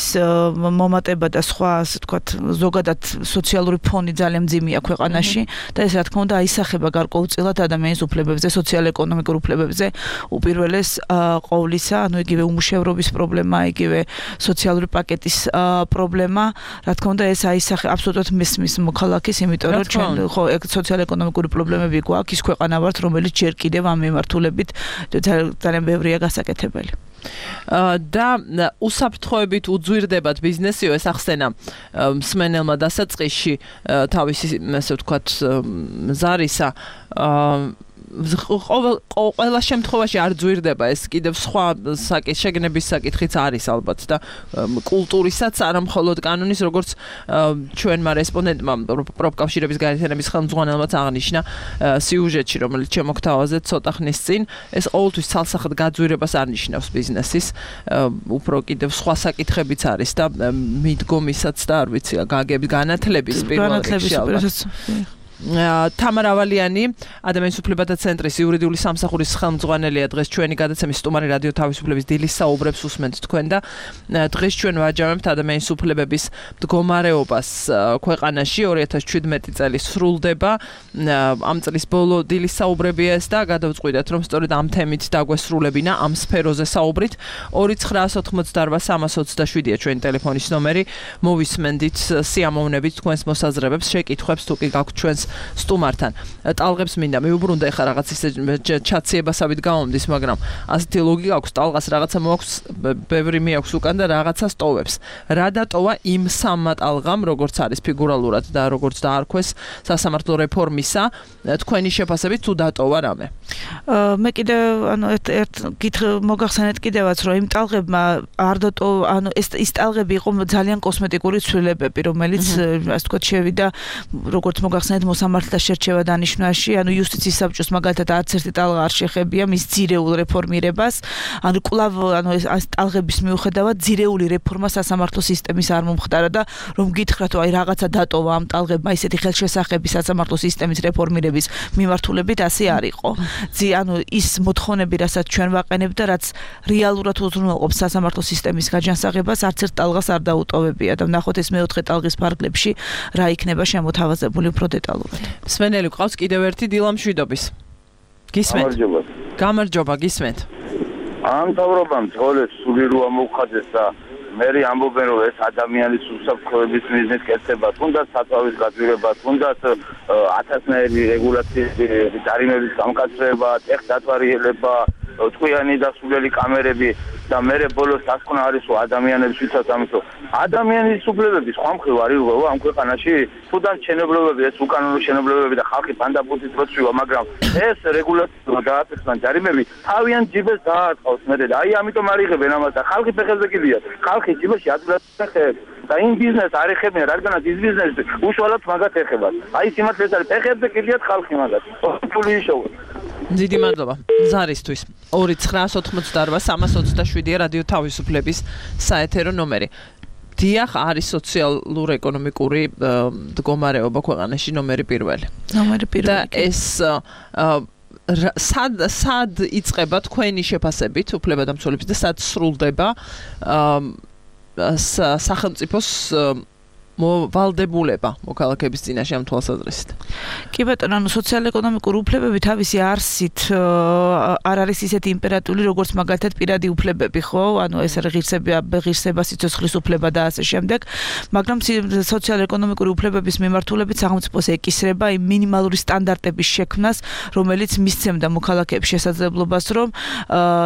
მომატება და სხვა, ასე ვთქვათ, ზოგადად სოციალური ფონი ძალიან მძიმეა ქვეყანაში და ეს რა თქმა უნდა აისახება გარკვეულწილად ადამიანის უფლებებზე, სოციალ-ეკონომიკურ უფლებებზე, უპირველეს ყოვლისა, ანუ იგივე უმუშევრობის პრობლემა, იგივე სოციალური პაკეტის პრობლემა, რა თქმა უნდა ეს აისახება აბსოლუტურად მესმის მოქალაქის, იმიტომ რომ ჩვენ ხო სოციალ-ეკონომიკური პრობლემები გვაქვს, ის ქვეყანა ვართ, რომელიც ჯერ კიდევ ამ მიმართულებით ძალიან ბევრია გასაკეთებელი. და უსაფრთხოებით უძვირდებათ ბიზნესიო ეს ახსენა მსმენელმა დასაწყისში თავისი ასე ვთქვათ ზარისა ყველა შემთხვევაში არ ძვირდება ეს კიდევ სხვა შეგნების საკითხიც არის ალბათ და კულტურისაც არა მხოლოდ კანონის როგორც ჩვენმა რესპონდენტმა პროფკავშირების გაერთიანების ხელმძღვანელმაც აღნიშნა სიუჟეტში რომელიც შემოგთავაზეთ ცოტა ხნის წინ ეს ყოველთვის ცალსახად გაძვირებას არ ნიშნავს ბიზნესის უფრო კიდევ სხვა საკითხებიც არის და მიდგომისაც და არ ვიცი გაგების განათლების პირველ რიგში თამარ ავალიანი ადამიანის უფლებათა ცენტრის იურიდიული სამსახურის ხელმძღვანელია დღეს ჩვენი გადაცემის სტუმარი რადიო თავისუფლების დილის საუბრებს უსმენთ თქვენ და დღეს ჩვენ ვაჯამებთ ადამიანის უფლებების მდგომარეობას ქვეყანაში 2017 წელი სრულდება ამ წლის ბოლო დილის საუბრებია ეს და გადავწყვიტეთ რომ სწორედ ამ თემით დაგვესრულებინა ამ სფეროზე საუბრით 2988-327-ია ჩვენი ტელეფონის ნომერი მოვისმენდით სიამოვნებით თქვენს მოსაზრებებს შეკითხვებს თუ კი გაქვთ ჩვენს სტუმართან. ტალღებს მინდა მიუბრუნდა ეხა რაღაც ისე ჩაციებასავით გამომდის, მაგრამ ასეთი ლოგიკა აქვს, ტალღას რაღაცა მოაქვს, ბევრი მიაქვს უკან და რაღაცას ტოვებს. რა დატოვა იმ სამმა ტალღამ, როგორც არის ფიგურალურად და როგორც დაარქვეს სასამართლო რეფორმისა, თქვენი შეფასებით თუ დატოვა რამე? მე კიდევ ანუ ერთ მოგახსენეთ კიდევაც რომ იმ ტალღებმა არ დატოვა, ანუ ეს ტალღები იყო ძალიან კოსმეტიკური ცვლილებები, რომელიც ასე ვთქვათ შევიდა როგორც მოგახსენეთ მოსამართლეთა შერჩევა დანიშვნაში, ანუ იუსტიციის საბჭოს მაგალითად არც ერთი ტალღა არ შეხებია მის ძირეულ რეფორმირებას, ანუ კვლავ ანუ ეს ტალღების მიუხედავად ძირეული რეფორმა სასამართლო სისტემის არ მომხდარა და რომ გითხრათ აი რაღაცა დატოვა ამ ტალღებმა ისეთი ხელშესახები სასამართლო სისტემის რეფორმირების მიმართულებით ასე არ იყო. ანუ ის მოთხოვნები, რასაც ჩვენ ვაყენებთ და რაც რეალურად უზრუნველყოფს სასამართლო სისტემის გაჯანსაღებას, არც ერთ ტალღას არ დაუტოვებია და ვნახოთ ეს მეოთხე ტალღის ფარგლებში რა იქნება შემოთავაზებული უფრო დეტალურად. მსმენელი გვყავს კიდევ ერთი დილა მშვიდობის. გისმენთ? გამარჯობა, გისმენთ. ამ თავრობამ ძღოლეს სული რო ამოვხადეს და მე ამბობენ რომ ეს ადამიანის უსაფრთხოების მიზნით კეთება, თუნდაც საწვავის გაძვირება, თუნდაც 1000-ნაირი რეგულაციები, ჯარიმების გამკაცრება, ტექდათვალიერება, ტყვიანი დასულელი კამერები და მე ბოლოს დასკვნა არის რომ ადამიანების ვისაც ამისო ადამიანის უფლებები სხვა მხრივ არ იღება ამ ქვეყანაში თუნდაც შენობლებები ეს უკანონო შენობლებები და ხალხი პანდაბუთით როცვივა მაგრამ ეს რეგულაციები გააფეთქან ჯარიმები თავიანთ ჯიბეს დააწყავს მე და აი ამიტომ არ იღებენ ამას და ხალხი ფეხებზე კიდია ხალხი ჯიბეში ადგილას ხეებს და იმ ბიზნესს არ ეხებიან, რადგანაც ის ბიზნესი უშუალოდ მაგათ ეხება. აი სიმართლე ეს არის, ფეხებზე კიდიათ ხალხი მაგათ. ფული იშოვა. დიდი მადლობა ზარისთვის 2988327 რადიო თავისუფლების საეთერო ნომერი. დიახ, არის სოციალურ-ეკონომიკური მდგომარეობა ქვეყანაში ნომერი პირველი. და ეს სად იწყება თქვენი შეფასებით უფლებადამცველების და სად სრულდება სახელმწიფოს ვალდებულება მოქალაქეების წინაშე ამ თვალსაზრისით. კი ბატონო, ანუ სოციალურ-ეკონომიკური უფლებები თავისი არსით არ არის ისეთი იმპერატიული, როგორც მაგალითად პირადი უფლებები, ხო? ანუ ეს არის ღირსება, სიცოცხლის უფლება და ასე შემდეგ, მაგრამ სოციალურ-ეკონომიკური უფლებების მიმართულებით სახელმწიფოს ეკისრება იმ მინიმალური სტანდარტების შექმნას, რომელიც მისცემდა მოქალაქეებს შესაძლებლობას, რომ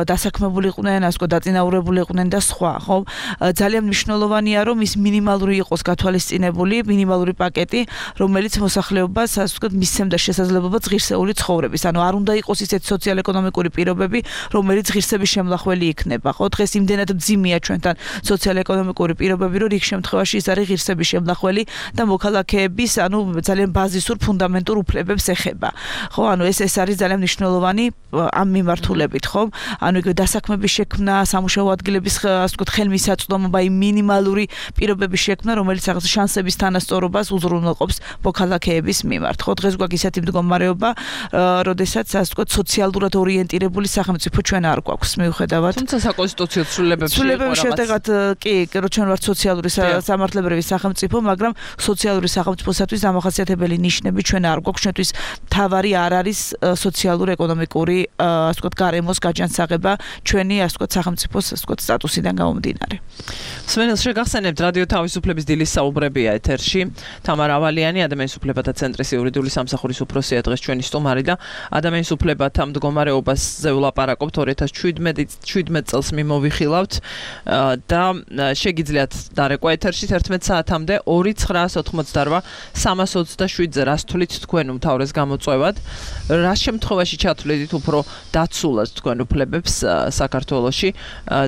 დასაქმებულიყვნენ, ასე ვთქვათ, დაწინაურებულიყვნენ და სხვა, ხო? ძალიან მნიშვნელოვანია, რომ ის მინიმალური იყოს გათვალისწინებული მინიმალური პაკეტი, რომელიც მოსახლეობას, ასე ვთქვათ, მისცემდა შესაძლებლობას ღირსეული ცხოვრების. ანუ არ უნდა იყოს ისეთი სოციალურ-ეკონომიკური პირობები, რომელიც ღირსების შემლახველი იქნება, ხო? დღეს იმდენად მძიმეა ჩვენთან სოციალურ-ეკონომიკური პირობები, რომ რიგ შემთხვევაში ის არის ღირსების შემლახველი და მოქალაქეების, ანუ ძალიან ბაზისურ ფუნდამენტურ უფლებებს ეხება. ხო, ანუ ეს არის ძალიან მნიშვნელოვანი ამ მიმართულებით, ხო? ანუ იგივე დასაქმების შექმნა, სამუშაო ადგილების, ასე ვთქვათ, ხელმისაწვდომობა, იმ მინიმალური პირობების შექმნა, რომელიც რაღაც შანსების თანასწორობას უზრუნველყოფს მოქალაქეების მიმართ. ხო, დღეს გვაქვს ისეთი მდგომარეობა, როდესაც ასე ვთქვათ, სოციალურად ორიენტირებული სახელმწიფო ჩვენ არ გვაქვს მიუხედავად. თუმცა საკონსტიტუციო ცვლილებებში შედეგად კი, რომ ჩვენ ვართ სოციალური სამართლებრივი სახელმწიფო, მაგრამ სოციალური სახელმწიფოსათვის დამახასიათებელი ნიშნები ჩვენ არ გვაქვს. ჩვენთვის თავარი არ არის სოციალურ-ეკონომიკური, ასე ვთქვათ, გარემოს გაჯანსაღება ჩვენი, ასე ვთქვათ, სახელმწიფოს, ასე ვთქვათ, სტატუსიდან გამომდინარე. სვენელს შეგახსენებთ რადიო თავისუფლების დილის საუბრებია ეთერში. თამარ ავალიანი, ადამიანის უფლებათა ცენტრის იურიდიული სამსახურის უფროსია დღეს ჩვენი სტუმარი და ადამიანის უფლებათა მდგომარეობაზე ვლაპარაკობთ 2017 წელს მიმოვიხილავთ და შეგიძლიათ დარეკვა ეთერში 11 საათამდე 2988 327-ზე რას თვლით თქვენ უმთავრეს გამოწვევად, რა შემთხვევაში ჩათვლით უფრო დაცულად თქვენ უფლებებს საქართველოში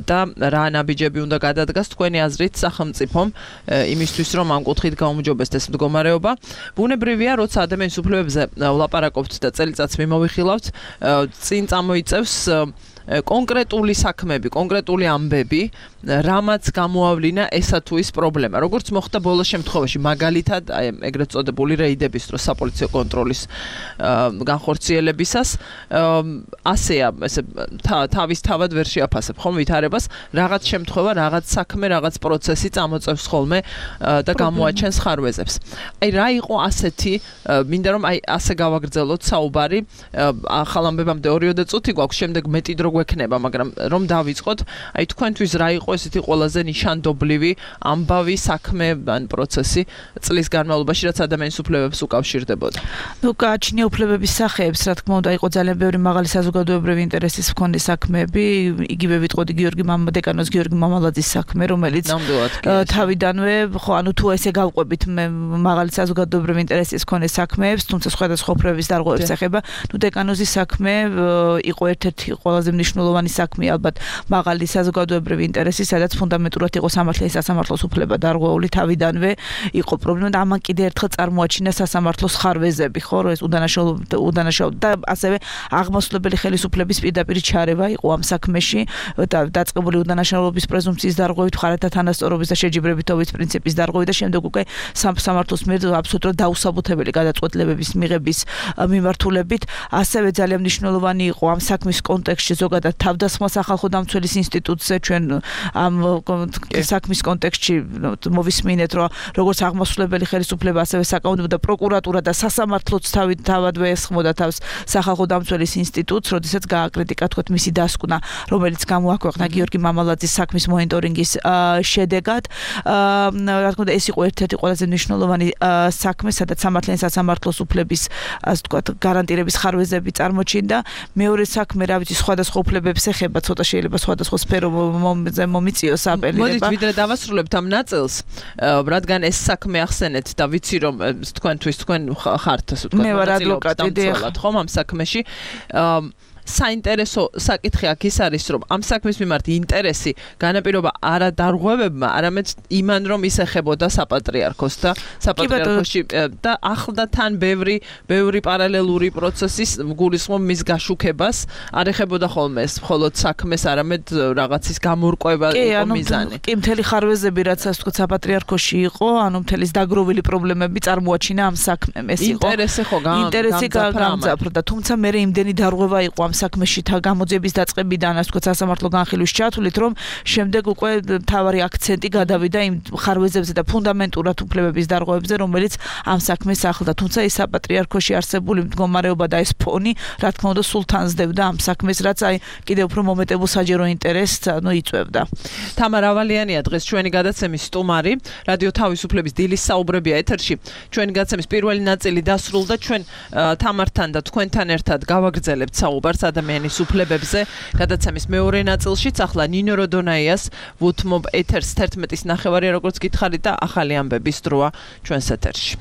და რა ნაბიჯები უნდა გადადგას თქვენი აზრით სახელმწიფომ იმისთვის რომ ამ კუთხით გაუმჯობესდეს ეს მდგომარეობა. ბუნებრივია, როცა ადამიანის უფლებებზე ვლაპარაკობთ და წელიწადს მიმოვიხილავთ, წინ წამოიწევს კონკრეტული საქმეები, კონკრეტული ამბები, რამაც გამოავლინა ესა თუ ის პრობლემა. როგორც მოხდა ბოლოს შემთხვევაში, მაგალითად, აი ეგრეთ წოდებული რეიდების დროს საპოლიციო კონტროლის განხორციელებისას, ასეა, ესე თავისთავად ვერ შეაფასებ ხომ ვითარებას, რაღაც შემთხვევა, რაღაც საქმე, რაღაც პროცესი წამოწევს ხოლმე და გამოაჩენს ხარვეზებს. აი რა იყო ასეთი, მინდა რომ აი ასე გავაგრძელოთ საუბარი, ახალ ამბებამდე 2 წუთი გვაქვს, შემდეგ მეტი დრო გვექნება, მაგრამ რომ დავიწყოთ, აი თქვენთვის რა იყო ესეთი ყველაზე ნიშანდობლივი ამბავი საქმე ან პროცესი წლის განმავლობაში, რაც ადამიანის უფლებებს უკავშირდებოდა. ნუ გააჩნია უფლებების სახეებს, რა თქმა უნდა, იყო ძალიან ბევრი მაღალი საზოგადოებრივი ინტერესის მქონე საქმეები, იგივე ვიტყოდი დეკანოს გიორგი მამალაძის საქმე, რომელიც თავიდანვე, ხო, ანუ თუ ესე გავყვებით მე მაღალი საზოგადოებრივი ინტერესის მქონე საქმეებს, თუმცა სხვადასხვა უფლებების დარღვევებს ეხება, ნუ დეკანოზის საქმე იყო ერთ-ერთი ყველაზე მნიშვნელოვანი საქმე, ალბათ მაღალი საზოგადოებრივი ინტერესი, სადაც ფუნდამენტურად იყო სამართლის სასამართლოს უფლება დარღვეული თავიდანვე, იყო პრობლემა და ამან კიდევ ერთხელ წარმოაჩინა სასამართლოს ხარვეზები, ხო, რომ ეს უდანაშაულო და ასევე აღმასრულებელი ხელისუფლების პირდაპირ ჩარევა იყო ამ საქმეში და დაწყებული უდანაშაულობის პრეზუმპციის დარღვევით, მხარეთა თანასწორობის და შეჯიბრებითობის პრინციპის დარღვევით და შემდეგ უკვე სამართლოს მიერ აბსოლუტურად დაუსაბუთებელი გადაწყვეტილებების მიღების მიმართულებით, ასევე ძალიან მნიშვნელოვანი იყო ამ საქმის კონტექსტში ზოგადად თავდასხმა სახალხო დამცველის ინსტიტუტზე ჩვენ ამ საქმის კონტექსტში მოვისმინეთ, რომ როგორც აღმასრულებელი ხელისუფლება, ასევე საკანონმდებლო და პროკურატურა და სასამართლოც თავადვე ესხმოდა თავს სახალხო დამცველის ინსტიტუტს, როდესაც გააკრიტიკა თქვათ მისი დასკვნა, რომელიც გამოაქვეყნა გიორგი მამალაძის საქმის მონიტორინგის შედეგად. რა თქმა უნდა, ეს იყო ერთ-ერთი ყველაზე მნიშვნელოვანი საქმე, სადაც სამართლიანი სასამართლოს უფლების, ასე ვთქვათ, გარანტირების ხარვეზები წარმოჩინდა. მეორე საქმე, რა ვიცი, სხვადასხვა უფლებებს ეხება, ცოტა შეიძლება სხვადასხვა სფეროზე მომიწიოს აპელირება. მოდით ვიდრე დავასრულებთ ამ ნაწილს, რადგან ეს საქმე ახსენეთ და ვიცი რომ თქვენ ხართ, ასე ვთქვათ, მე ვარ ადვოკატი, ხომ ამ საქმეში. საინტერესო საკითხი აქ ის არის, რომ ამ საქმის მიმართ ინტერესი განაპირობა არა დარღვევებმა, არამედ იმან, რომ ის ეხებოდა საპატრიარქოს და საპატრიარქოში და ახლა თან ბევრი პარალელური პროცესის გულისხმობ მის გაშუქებას არ ეხებოდა ხოლმე ეს მხოლოდ საქმეს, არამედ რაღაცის გამორკვევა იყო მიზანი. კი, მთელი ხარვეზები, რაც ასე ვთქვათ, საპატრიარქოში იყო, ანუ მთელი დაგროვილი პრობლემები წარმოაჩინა ამ საქმემ. ეს იყო ინტერესი გამძაფრდა, თუმცა მე იმდენი დარღვევა იყო ამ საქმეში გამოძიების დაწყებიდან, ასე ვთქვათ, სასამართლო განხილვის ჩათვლით, რომ შემდეგ უკვე მთავარი აქცენტი გადავიდა იმ ხარვეზებზე და ფუნდამენტურად უფლებების დარღვევებზე, რომელიც ამ საქმეს ახლდა. თუმცა ის საპატრიარქოში არსებული მდგომარეობა და ეს ფონი, რა თქმა უნდა, სულ თანსდებდა ამ საქმეს, რაც აი კიდევ უფრო მომეტებულ საჯარო ინტერესს იწვევდა. თამარ ავალიანია დღეს ჩვენი გადაცემის სტუმარი, რადიო თავისუფლების დილის საუბრებია ეთერში. ჩვენი გადაცემის პირველი ნაწილი დასრულდა, ჩვენ თამართან და თქვენთან ერთად გავაგრძელებთ საუბარს ადამიანის უფლებებზე. გადაცემის მეორე ნაწილშიც ახლა ნინო როდონაიას ვუთმობ ეთერს 11-ის ნახევარი, როგორც გითხარით და ახალი ამბების დროა ჩვენს ეთერში.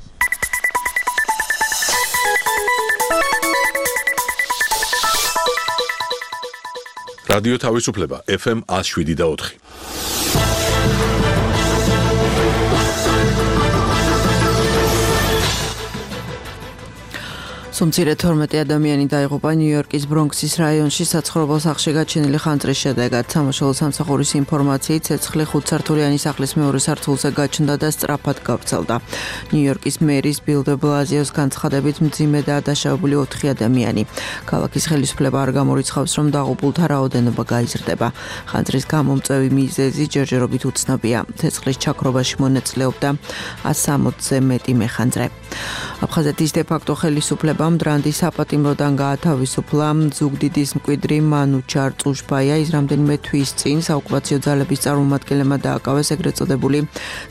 რადიო თავისუფლება FM 107.4. მცირე 12 ადამიანი დაიღუპა ნიუ-იორკის ბრონქსის რაიონში საცხოვრებელ სახლში გაჩენილი ხანძრის შედეგად. სამაშველო სამსახურის ინფორმაციით, ცეცხლი 5-სართულიანი სახლის მეორე სართულზე გაჩნდა და სწრაფად გავრცელდა. ნიუ-იორკის მერის ბილ დე ბლაზიოს განცხადებით, მძიმედაა დაშავებული 4 ადამიანი. ქალაქის ხელისუფლება არ გამორიცხავს, რომ დაღუპულთა რაოდენობა გაიზრდება. ხანძრის გამომწვევი მიზეზი ჯერჯერობით უცნობია. ცეცხლის ჩაქრობაში მონაწილეობდა 160-ზე მეტი მეხანძრე. აფხაზეთის დე-ფაქტო ხელისუფლება მდრანდის საპატიმროდან გაათავისუფლა ზუგდიდის მკვიდრი მანუჩარ წუშბაია. ის რამდენიმე თვის წინ საოკუპაციო ძალების წარმომადგენლებმა დააკავეს ეგრეთ წოდებული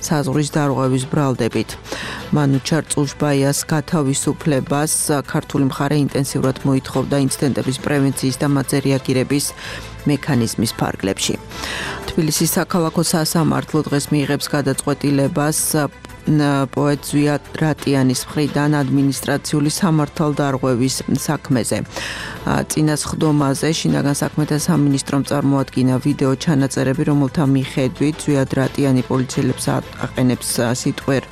საზღვრის დარღვევის ბრალდებით. მანუჩარ წუშბაიას გათავისუფლებას ქართული მხარე ინტენსიურად მოითხოვდა ინციდენტების პრევენციის და მათზე რეაგირების მექანიზმის ფარგლებში. თბილისის საქალაქო სასამართლო დღეს მიიღებს გადაწყვეტილებას პოეტ ზვია რატიანის მხრიდან ადმინისტრაციული სამართალდარღვევის საქმეზე. წინასხდომაზე შინაგან საქმეთა სამინისტრომ წარმოადგინა ვიდეო ჩანაწერები, რომელთა მიხედვით ზვია რატიანი პოლიციელებს აყენებს სიტყვერ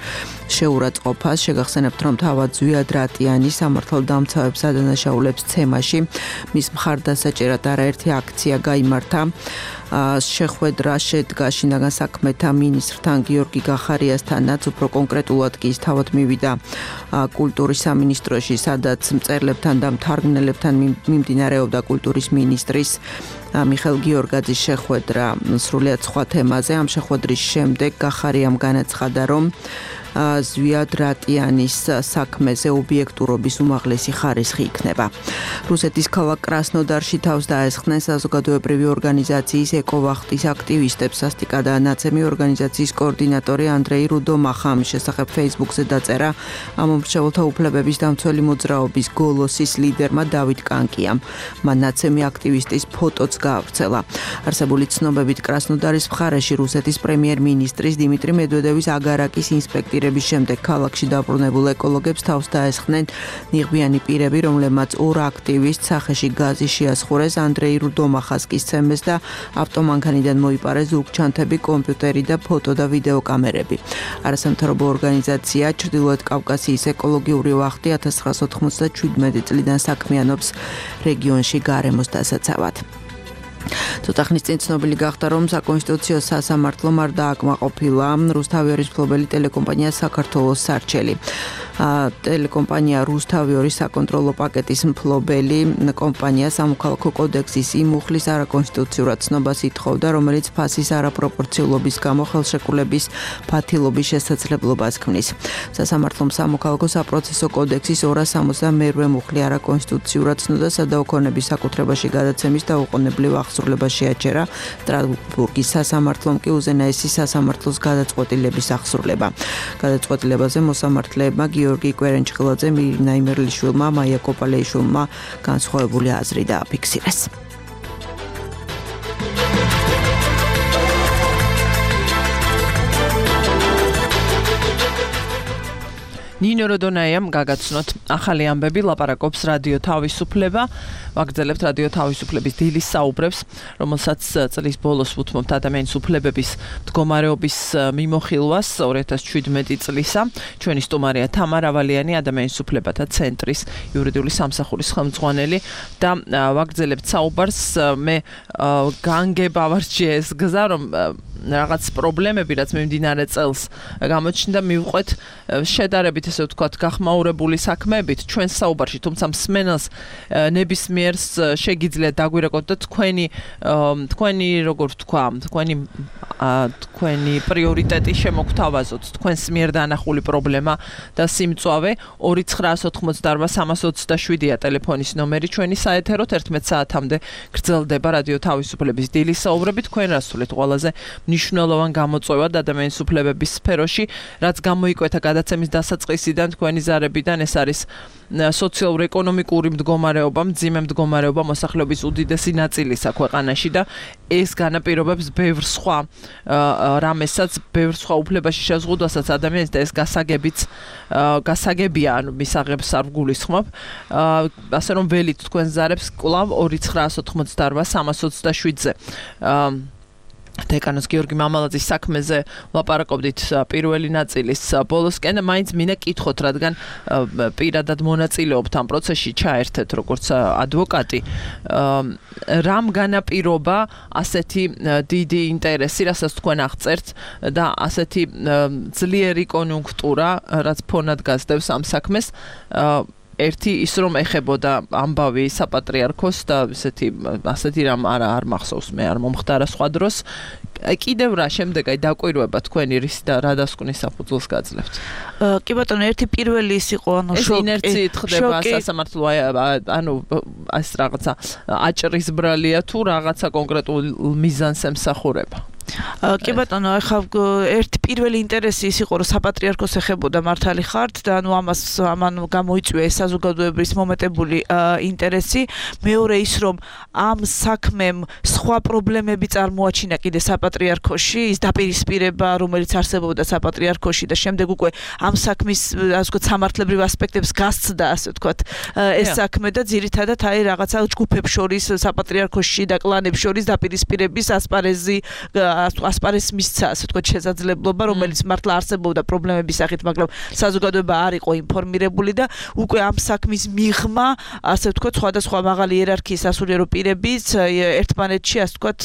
შეურაცხყოფას. შეგახსენებთ, რომ თავად ზვია რატიანი სამართალდამცავებს ადანაშაულებს ცემაში მის მხარდასაჭერად არაერთი აქცია გაიმართა. შეხვედრა შედგა შინაგან საქმეთა მინისტრთან გიორგი გახარიასთანაც, უფრო კონკრეტულად კი ის თავად მივიდა კულტურის სამინისტროში, სადაც მწერლებთან და მთარგმნელებთან მიმდინარეობდა კულტურის მინისტრის მიხელ გიორგაძის შეხვედრა სრულიად სხვა თემაზე. ამ შეხვედრის შემდეგ გახარიამ განაცხადა, რომ ზვია რატიანის საქმეზე ობიექტურობის უმაღლესი ხარისხი იქნება. რუსეთის ქალაქ კრასნოდარში თავს დაესხნენ საზოგადოებრივი ორგანიზაციის ეკოვახტის აქტივისტებს. სასტიკა და ნაცემი ორგანიზაციის კოორდინატორი ანდრეი რუდომახა ამის შესახებ Facebook-ზე დაწერა ამომრჩეველთა უფლებების დამცველი მოძრაობის გოლოსის ლიდერმა დავით კანკიამ. მან ნაცემი აქტივისტის ფოტოც გაავრცელა. არსებული ცნობებით კრასნოდარის მხარეში რუსეთის პრემიერ-მინისტრის დიმიტრი მედვედევის აგარაკის ინსპექტორების შემდეგ ქალაქში დაბრუნებულ ეკოლოგებს თავს დაესხნენ ნიღბიანი პირები, რომლებმაც ორ აქტივისტს სახეში გაზი შეასხურეს, ანდრეი რუდომახას კი სცემეს და ავტომანქანიდან მოიპარეს ზურგჩანთები, კომპიუტერი და ფოტო და ვიდეო კამერები. არასამთავრობო ორგანიზაცია ჩრდილოეთ კავკასიის ეკოლოგიური ვახტი 1997 წლიდან საქმიანობს რეგიონში გარემოს დასაცავად. ცოტა ხნის წინ ცნობილი გახდა, რომ საკონსტიტუციო სასამართლომ არ დააკმაყოფილა რუსთავიორის მფლობელი ტელეკომპანია საქართველოს სარჩელი. ტელეკომპანია რუსთავიორის საკონტროლო პაკეტის მფლობელი კომპანია სამოქალაქო კოდექსის იმ მუხლის არაკონსტიტუციურად ცნობას ითხოვდა, რომელიც ფასის არაპროპორციულობის გამო ხელშეკრულების ფათილობის შესაძლებლობას ქმნის. სასამართლომ სამოქალაქო საპროცესო კოდექსის 262 მუხლი არაკონსტიტუციურად ცნოდა სადაუქონების საკუთრებაში გადაცემის და უყონებლივ აღსრულება შეაჩერა. სტრასბურგის სასამართლომ კი უზენაესი სასამართლოს გადაწყვეტილების აღსრულება. გადაწყვეტილებაზე მოსამართლეებმა გიორგი კვერენჭხილაძე, მირინა იმერლიშვილმა, მაია კოპალეიშვილმა განსხვავებული აზრი დააფიქსირეს. ნინო როდონაიამ გაგაცნოთ ახალი ამბები, ლაპარაკობს რადიო თავისუფლება. ვაგრძელებთ რადიო თავისუფლების დილის საუბრებს, რომელსაც წლის ბოლოს ვუთმობთ ადამიანის უფლებების მდგომარეობის მიმოხილვას 2017 წლისა. ჩვენი სტუმარია თამარ ავალიანი, ადამიანის უფლებათა ცენტრის იურიდიული სამსახურის ხელმძღვანელი და ვაგრძელებთ საუბარს. მე განგება ვარჩიე ეს გზა, რომ რაღაც პრობლემები, რაც მიმდინარე წელს გამოჩნდა, მივყვეთ შედარებით ესე ვთქვათ გახმაურებული საქმეებით ჩვენ საუბარში, თუმცა მსმენელს ნებისმიერს შეგიძლიათ დაგვირეკოთ და თქვენი როგორ ვთქვა, თქვენი პრიორიტეტი შემოგთავაზოთ, თქვენს მიერ დაანახული პრობლემა და სიმწვავე 2988327-ია ტელეფონის ნომერი ჩვენი საეთეროთ 11 საათამდე გრძელდება რადიო თავისუფლების დილის საუბრები. თქვენ რას სულით ყველაზე მნიშვნელოვან გამოწვევად ადამიანის უფლებების სფეროში, რაც გამოიკვეთა გადაცემის დასაწყისიდან თქვენი ზარებიდან, ეს არის სოციალურ-ეკონომიკური მდგომარეობა, მძიმე მდგომარეობა მოსახლეობის უდიდესი ნაწილისა ქვეყანაში და ეს განაპირობებს ბევრ სხვა რამესაც, ბევრ სხვა უფლებაში შეზღუდვასაც ადამიანის და ეს გასაგებია, ანუ მისაღებს არ ვგულისხმობ. ასე რომ ველით თქვენ ზარებს კვლავ 2988327-ზე. დეკანოს გიორგი მამალაძის საქმეზე ლაპარაკობდით პირველი ნაწილის ბოლოსკენ, მაინც მინდა კითხოთ, რადგან პირადად მონაწილეობთ ამ პროცესში, ჩაერთეთ როგორც ადვოკატი. რამ განაპირობა ასეთი დიდი ინტერესი, რასაც თქვენ აღწერთ და ასეთი ძლიერი კონიუნქტურა, რაც ფონად გასდევს ამ საქმეს? ერთი ის რომ ეხებოდა ამბავი საპატრიარქოს და ასეთი რამ არ მახსოვს, მე არ მომხდარა სხვა დროს. კიდევ რა შემდეგ დაკვირვება თქვენი რის და რა დასკვნის საფუძველს გაძლევთ? კი ბატონო, ერთი პირველი ის იყო, ანუ ეს ინერციით ხდება სასამართლო, ანუ ეს რაღაცა აჭრის ბრალია თუ რაღაცა კონკრეტულ მიზანს ემსახურება? კი ბატონო, ახლა ერთი პირველი ინტერესი ის იყო, რომ საპატრიარქოს ეხებოდა მართალი ხართ და ანუ ამან გამოიწვია ეს საზოგადოების მომეტებული ინტერესი. მეორე ის, რომ ამ საქმემ სხვა პრობლემები წარმოაჩინა კიდე საპატრიარქოში, ის დაპირისპირება, რომელიც არსებობდა საპატრიარქოში და შემდეგ უკვე ამ საქმის, ასე ვთქვათ, სამართლებრივ ასპექტებს გასცდა, ასე ვთქვათ, ეს საქმე და ძირითადად აი რაღაცა ჯგუფებს შორის, საპატრიარქოში და კლანებს შორის დაპირისპირების ასპარეზს მისცა, ასე ვთქვათ, შესაძლებლობა, რომელიც მართლა არსებობდა პრობლემების სახით, მაგრამ საზოგადოება არ იყო ინფორმირებული და უკვე ამ საქმის მიღმა, ასე ვთქვათ, სხვადასხვა მაღალი იერარქიის სასულიერო პირებიც ერთმანეთში, ასე ვთქვათ,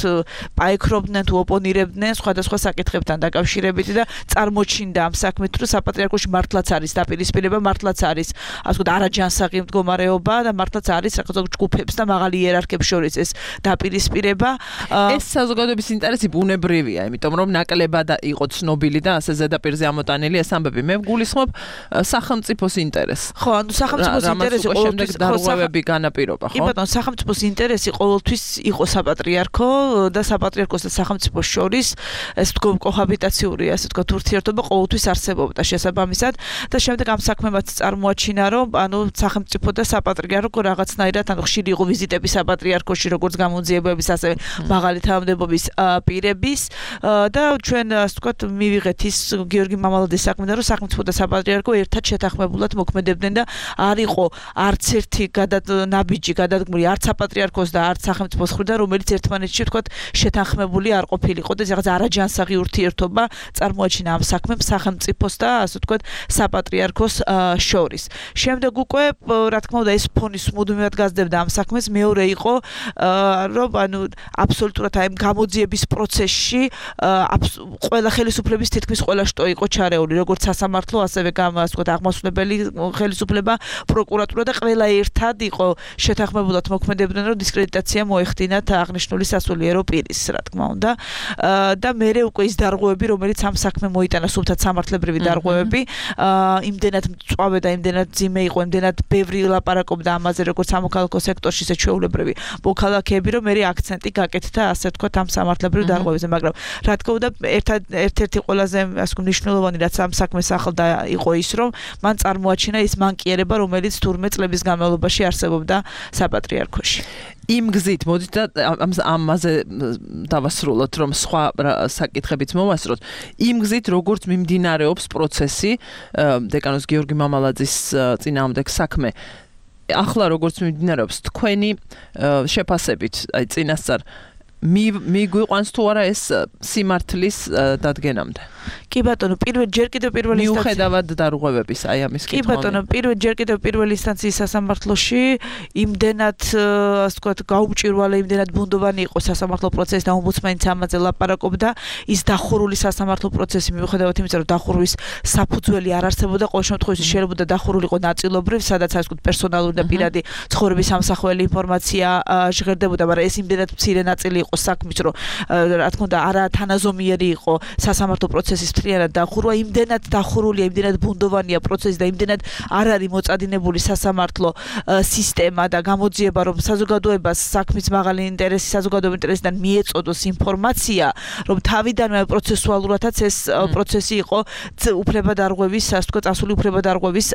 პაექრობდნენ თუ ოპონირებდნენ სხვადასხვა საკითხებთან დაკავშირებით და წარმოჩინდა ამ საქმით, რომ საპატრიარქოში მართლაც არის დაპირისპირება, მართლაც არის, ასე ვთქვათ, არაჯანსაღი მდგომარეობა და მართლაც არის რაღაცა ჯგუფებს და მაღალი იერარქიებს შორის ეს დაპირისპირება. ეს საზოგადოების ინტერესი ბუნებრივია, იმიტომ რომ ნაკლებად იყო ცნობილი და ასე ზედაპირზე ამოტანილი ეს ამბები. მე ვგულისხმობ სახელმწიფოს ინტერესს. ხო, ანუ სახელმწიფოს ინტერესი ყოველთვის დარღვევები განაპირობა, ხო? კი ბატონო, სახელმწიფოს ინტერესი ყოველთვის იყო საპატრიარქო და საპატრიარქოს და სახელმწიფოს შორის ეს კოჰაბიტაციური, ასე ვთქვათ, ურთიერთობა ყოველთვის არსებობდა შესაბამისად და შემდეგ ამ საქმემაც წარმოაჩინა, რომ ანუ სახელმწიფო და საპატრიარქო რაღაცნაირად ანუ ხშირი იყო ვიზიტები საპატრიარქოში, როგორც გამოძიებების, ასევე მაღალი თანამდებობის პირების და ჩვენ ასე ვთქვათ მივიღეთ ის გიორგი მამალაძის საქმიდან, რომ სახელმწიფო და საპატრიარქო ერთად შეთანხმებულად მოქმედებდნენ და არ იყო არც ერთი ნაბიჯი გადადგმული არც საპატრიარქოს და არც სახელმწიფოს მხრიდან, რომელიც ერთმანეთში ვთქვათ შეთანხმებული არ ყოფილიყო და რაღაც არაჯანსაღი ურთიერთობა წარმოაჩინა ამ საქმემ სახელმწიფოს და ასე ვთქვათ საპატრიარქოს შორის. შემდეგ უკვე რა თქმა უნდა ეს ფონის მუდმივად გასდევდა ამ საქმეს. მეორე იყო რომ ანუ აბსოლუტურად აი გამოძიების პროცესში ყველა ხელისუფლების თითქმის ყველა შტო იყო ჩარეული, როგორც სასამართლო, ასევე ასე ვთქვათ აღმასრულებელი ხელისუფლება, პროკურატურა და ყველა ერთად იყო შეთანხმებულად მოქმედებდნენ, რომ დისკრედიტაცია მოეხდინათ აღნიშნული სასულიერო პირის, რა თქმა უნდა. და მერე უკვე ის დარღვევები, რომელიც ამ საქმე მოიტანა, სულთად სამართლებრივი დარღვევები, იმდენად მწვავე და იმდენად ძიმე იყო, იმდენად ბევრი ლაპარაკობდა ამაზე, როგორც სამოქალაქო სექტორში, ისე ჩვეულებრივი მოქალაქეები, რომ მერე აქცენტი გაკეთდა, ასე ვთქვათ, ამ სამართლებრივ დარღვევებზე. საკითხებზე, მაგრამ რა თქმა უნდა, ერთ-ერთი ყველაზე ასე მნიშვნელოვანი რაც ამ საქმეს ახლდა იყო ის, რომ მან წარმოაჩინა ის მანკიერება, რომელიც თურმე წლების განმავლობაში არსებობდა საპატრიარქოში. იმ გზით მოდით და ამაზე დავასრულოთ, რომ სხვა საკითხებიც მოვასწროთ. იმ გზით როგორც მიმდინარეობს პროცესი დეკანოს გიორგი მამალაძის წინააღმდეგ საქმე, ახლა როგორც მიმდინარეობს თქვენი შეფასებით, აი წინასწარ მიგვიყვანს თუ არა ეს სიმართლის დადგენამდე? კი ბატონო, ჯერ კიდევ პირველი მიუხედავად დარღვევების აი ამის კი ბატონო, ჯერ კიდევ პირველი ინსტანციის სასამართლოში იმდენად ასე ვთქვათ გაუმჭირვალე, იმდენად ბუნდოვანი იყო სასამართლო პროცესი და ომბუდსმენიც ამაზე ლაპარაკობდა, ის დახურული სასამართლო პროცესი მიუხედავად იმისა, რომ დახურვის საფუძველი არ არსებობდა, ყოველ შემთხვევაში შეიძლება დახურულიყო ნაწილობრივ, სადაც ასე ვთქვათ პერსონალური და პირადი ცხოვრების ამსახველი ინფორმაცია ჟღერდებოდა, მაგრამ ეს იმდენად მცირე ნაწილი იყო საქმის, რომ რა თქმა უნდა არა თანაზომიერი იყო სასამართლო პროცესის მთლიანად დახურვა, იმდენად დახურულია, იმდენად ბუნდოვანია პროცესი და იმდენად არ არის მოწადინებული სასამართლო სისტემა და გამოძიება, რომ საზოგადოებას საქმის მაღალი ინტერესი, საზოგადოების ინტერესიდან მიეწოდოს ინფორმაცია, რომ თავიდანვე პროცესუალურადაც ეს პროცესი იყო უფლებადარღვევის, ასე ვთქვათ, წასული უფლებადარღვევის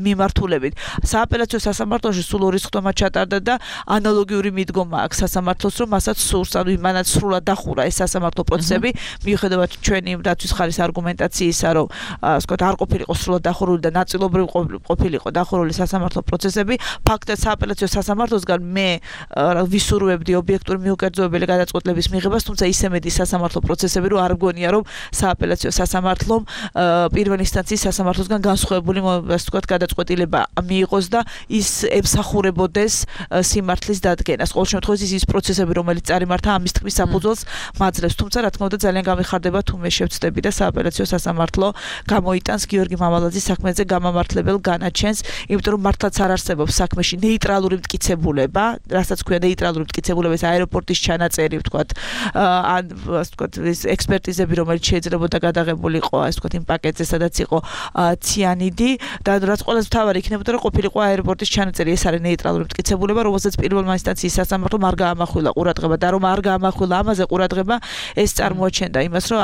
მიმართულებით. სააპელაციო სასამართლოში სულ ორი სხდომა ჩატარდა და ანალოგიური მიდგომა აქვს სასამართლოს, რომ მასაც სურს, ანუ იმანაც სრულად დახურა ეს სასამართლო პროცესები, მიუხედავად ჩვენი დაცვის ხარის არგუმენტაციისა, რომ ასე ვთქვათ, არ ყოფილიყო სრულად დახურული და ნაწილობრივ ყოფილიყო დახურული სასამართლო პროცესები, ფაქტად სააპელაციო სასამართლოსგან მე ვისურვებდი ობიექტური მიუკერძოებელი გადაწყვეტილების მიღებას, თუმცა ისე მეტი სასამართლო პროცესები, რომ არ მგონია, რომ სააპელაციო სასამართლომ პირველი ინსტანციის სასამართლოსგან განსხვავებული, ასე ვთქვათ, გადაწყვეტილება მიიღოს და ის ემსახურებოდეს სიმართლის დადგენას. ყოველ შემთხვევაში ის პროცესები, რომელიც წარიმართა ამის თქმის საფუძველს მაძლევს, თუმცა რა თქმა უნდა ძალიან გამიხარდება თუ მე შევწდები და სააპელაციო სასამართლო გამოიტანს გიორგი მამალაძის საქმეზე გამამართლებელ განაჩენს, იმიტომ რომ მართლაც არ არსებობს საქმეში ნეიტრალური მტკიცებულება, რასაც ქვია ნეიტრალური მტკიცებულება, ეს აეროპორტის ჩანაწერი, ვთქვათ, ან ასე ვთქვათ, ეს ექსპერტიზები, რომელიც შეიძლებოდა გადაღებულიყო, ასე ვთქვათ, იმ პაკეტზე, სადაც იყო ციანიდი და რაც ყველაზე მთავარი იქნებოდა, რომ ყოფილიყო აეროპორტის ჩანაწერი, ეს არის ნეიტრალური მტკიცებულება, რომელსაც პირველმა ინსტანციის სასამართლომ არ გაამახვილა ყურადღება და რომ არ გაამახვილა ამაზე ყურადღება, ეს წარმოაჩენდა იმას, რომ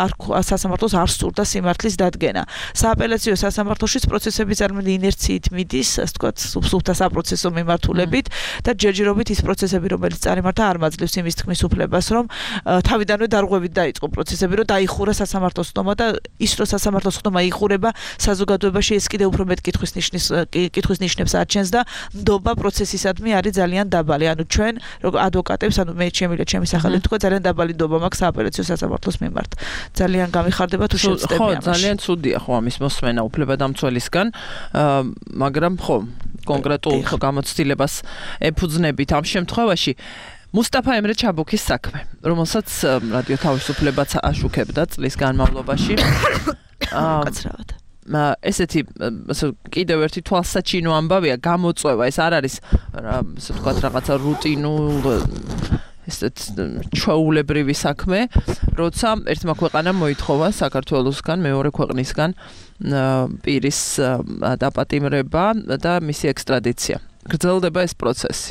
სასამართლოს არ სურდა სიმართლის დადგენა. სააპელაციო სასამართლოშიც პროცესები წარმოიდგინე ინერციით მიდის, ასე ვთქვათ, სუფთა საპროცესო მიმართულებით და ჯერჯერობით ის პროცესები, რომელიც წარიმართა, არ მაძლევს იმის თქმის უფლებას, რომ თავიდანვე დარღვევით დაიწყო პროცესები, რომ დაიხურა სასამართლოს ხდომა და ის რომ სასამართლოს ხდომა იხურება, საზოგადოებაში ეს კიდევ უფრო მეტ კითხვის ნიშნებს აჩენს და ნდობა პროცესისადმი არის ძალიან დაბალი. ანუ ჩვენ ადვოკატებს, ანუ მე ჩემი სახელით თქვა, ძალიან დაბალი ნდობა მაქვს სააპელაციო სასამართლოს მიმართ. ძალიან გამიხარდება თუ შევწდები ამაში. ხო, ძალიან ცუდია ხო ამის მოსმენა უფლებადამცველისგან, მაგრამ ხო, კონკრეტულ გამოცდილებას ეფუძნებით ამ შემთხვევაში. მუსტაფა ემრე ჩაბუქის საქმე, რომელსაც რადიო თავისუფლებაც აშუქებდა წლის განმავლობაში. კაცრავად. ესეთი კიდევ ერთი თვალსაჩინო ამბავია, გამოწვევა, ეს არ არის ასე ვთქვათ რაღაცა რუტინულ ესეთ ჩვეულებრივი საქმე, როცა ერთმა ქვეყანამ მოითხოვა საქართველოსგან, მეორე ქვეყნისგან პირის დაპატიმრება და მისი ექსტრადიცია. გრძელდება ეს პროცესი.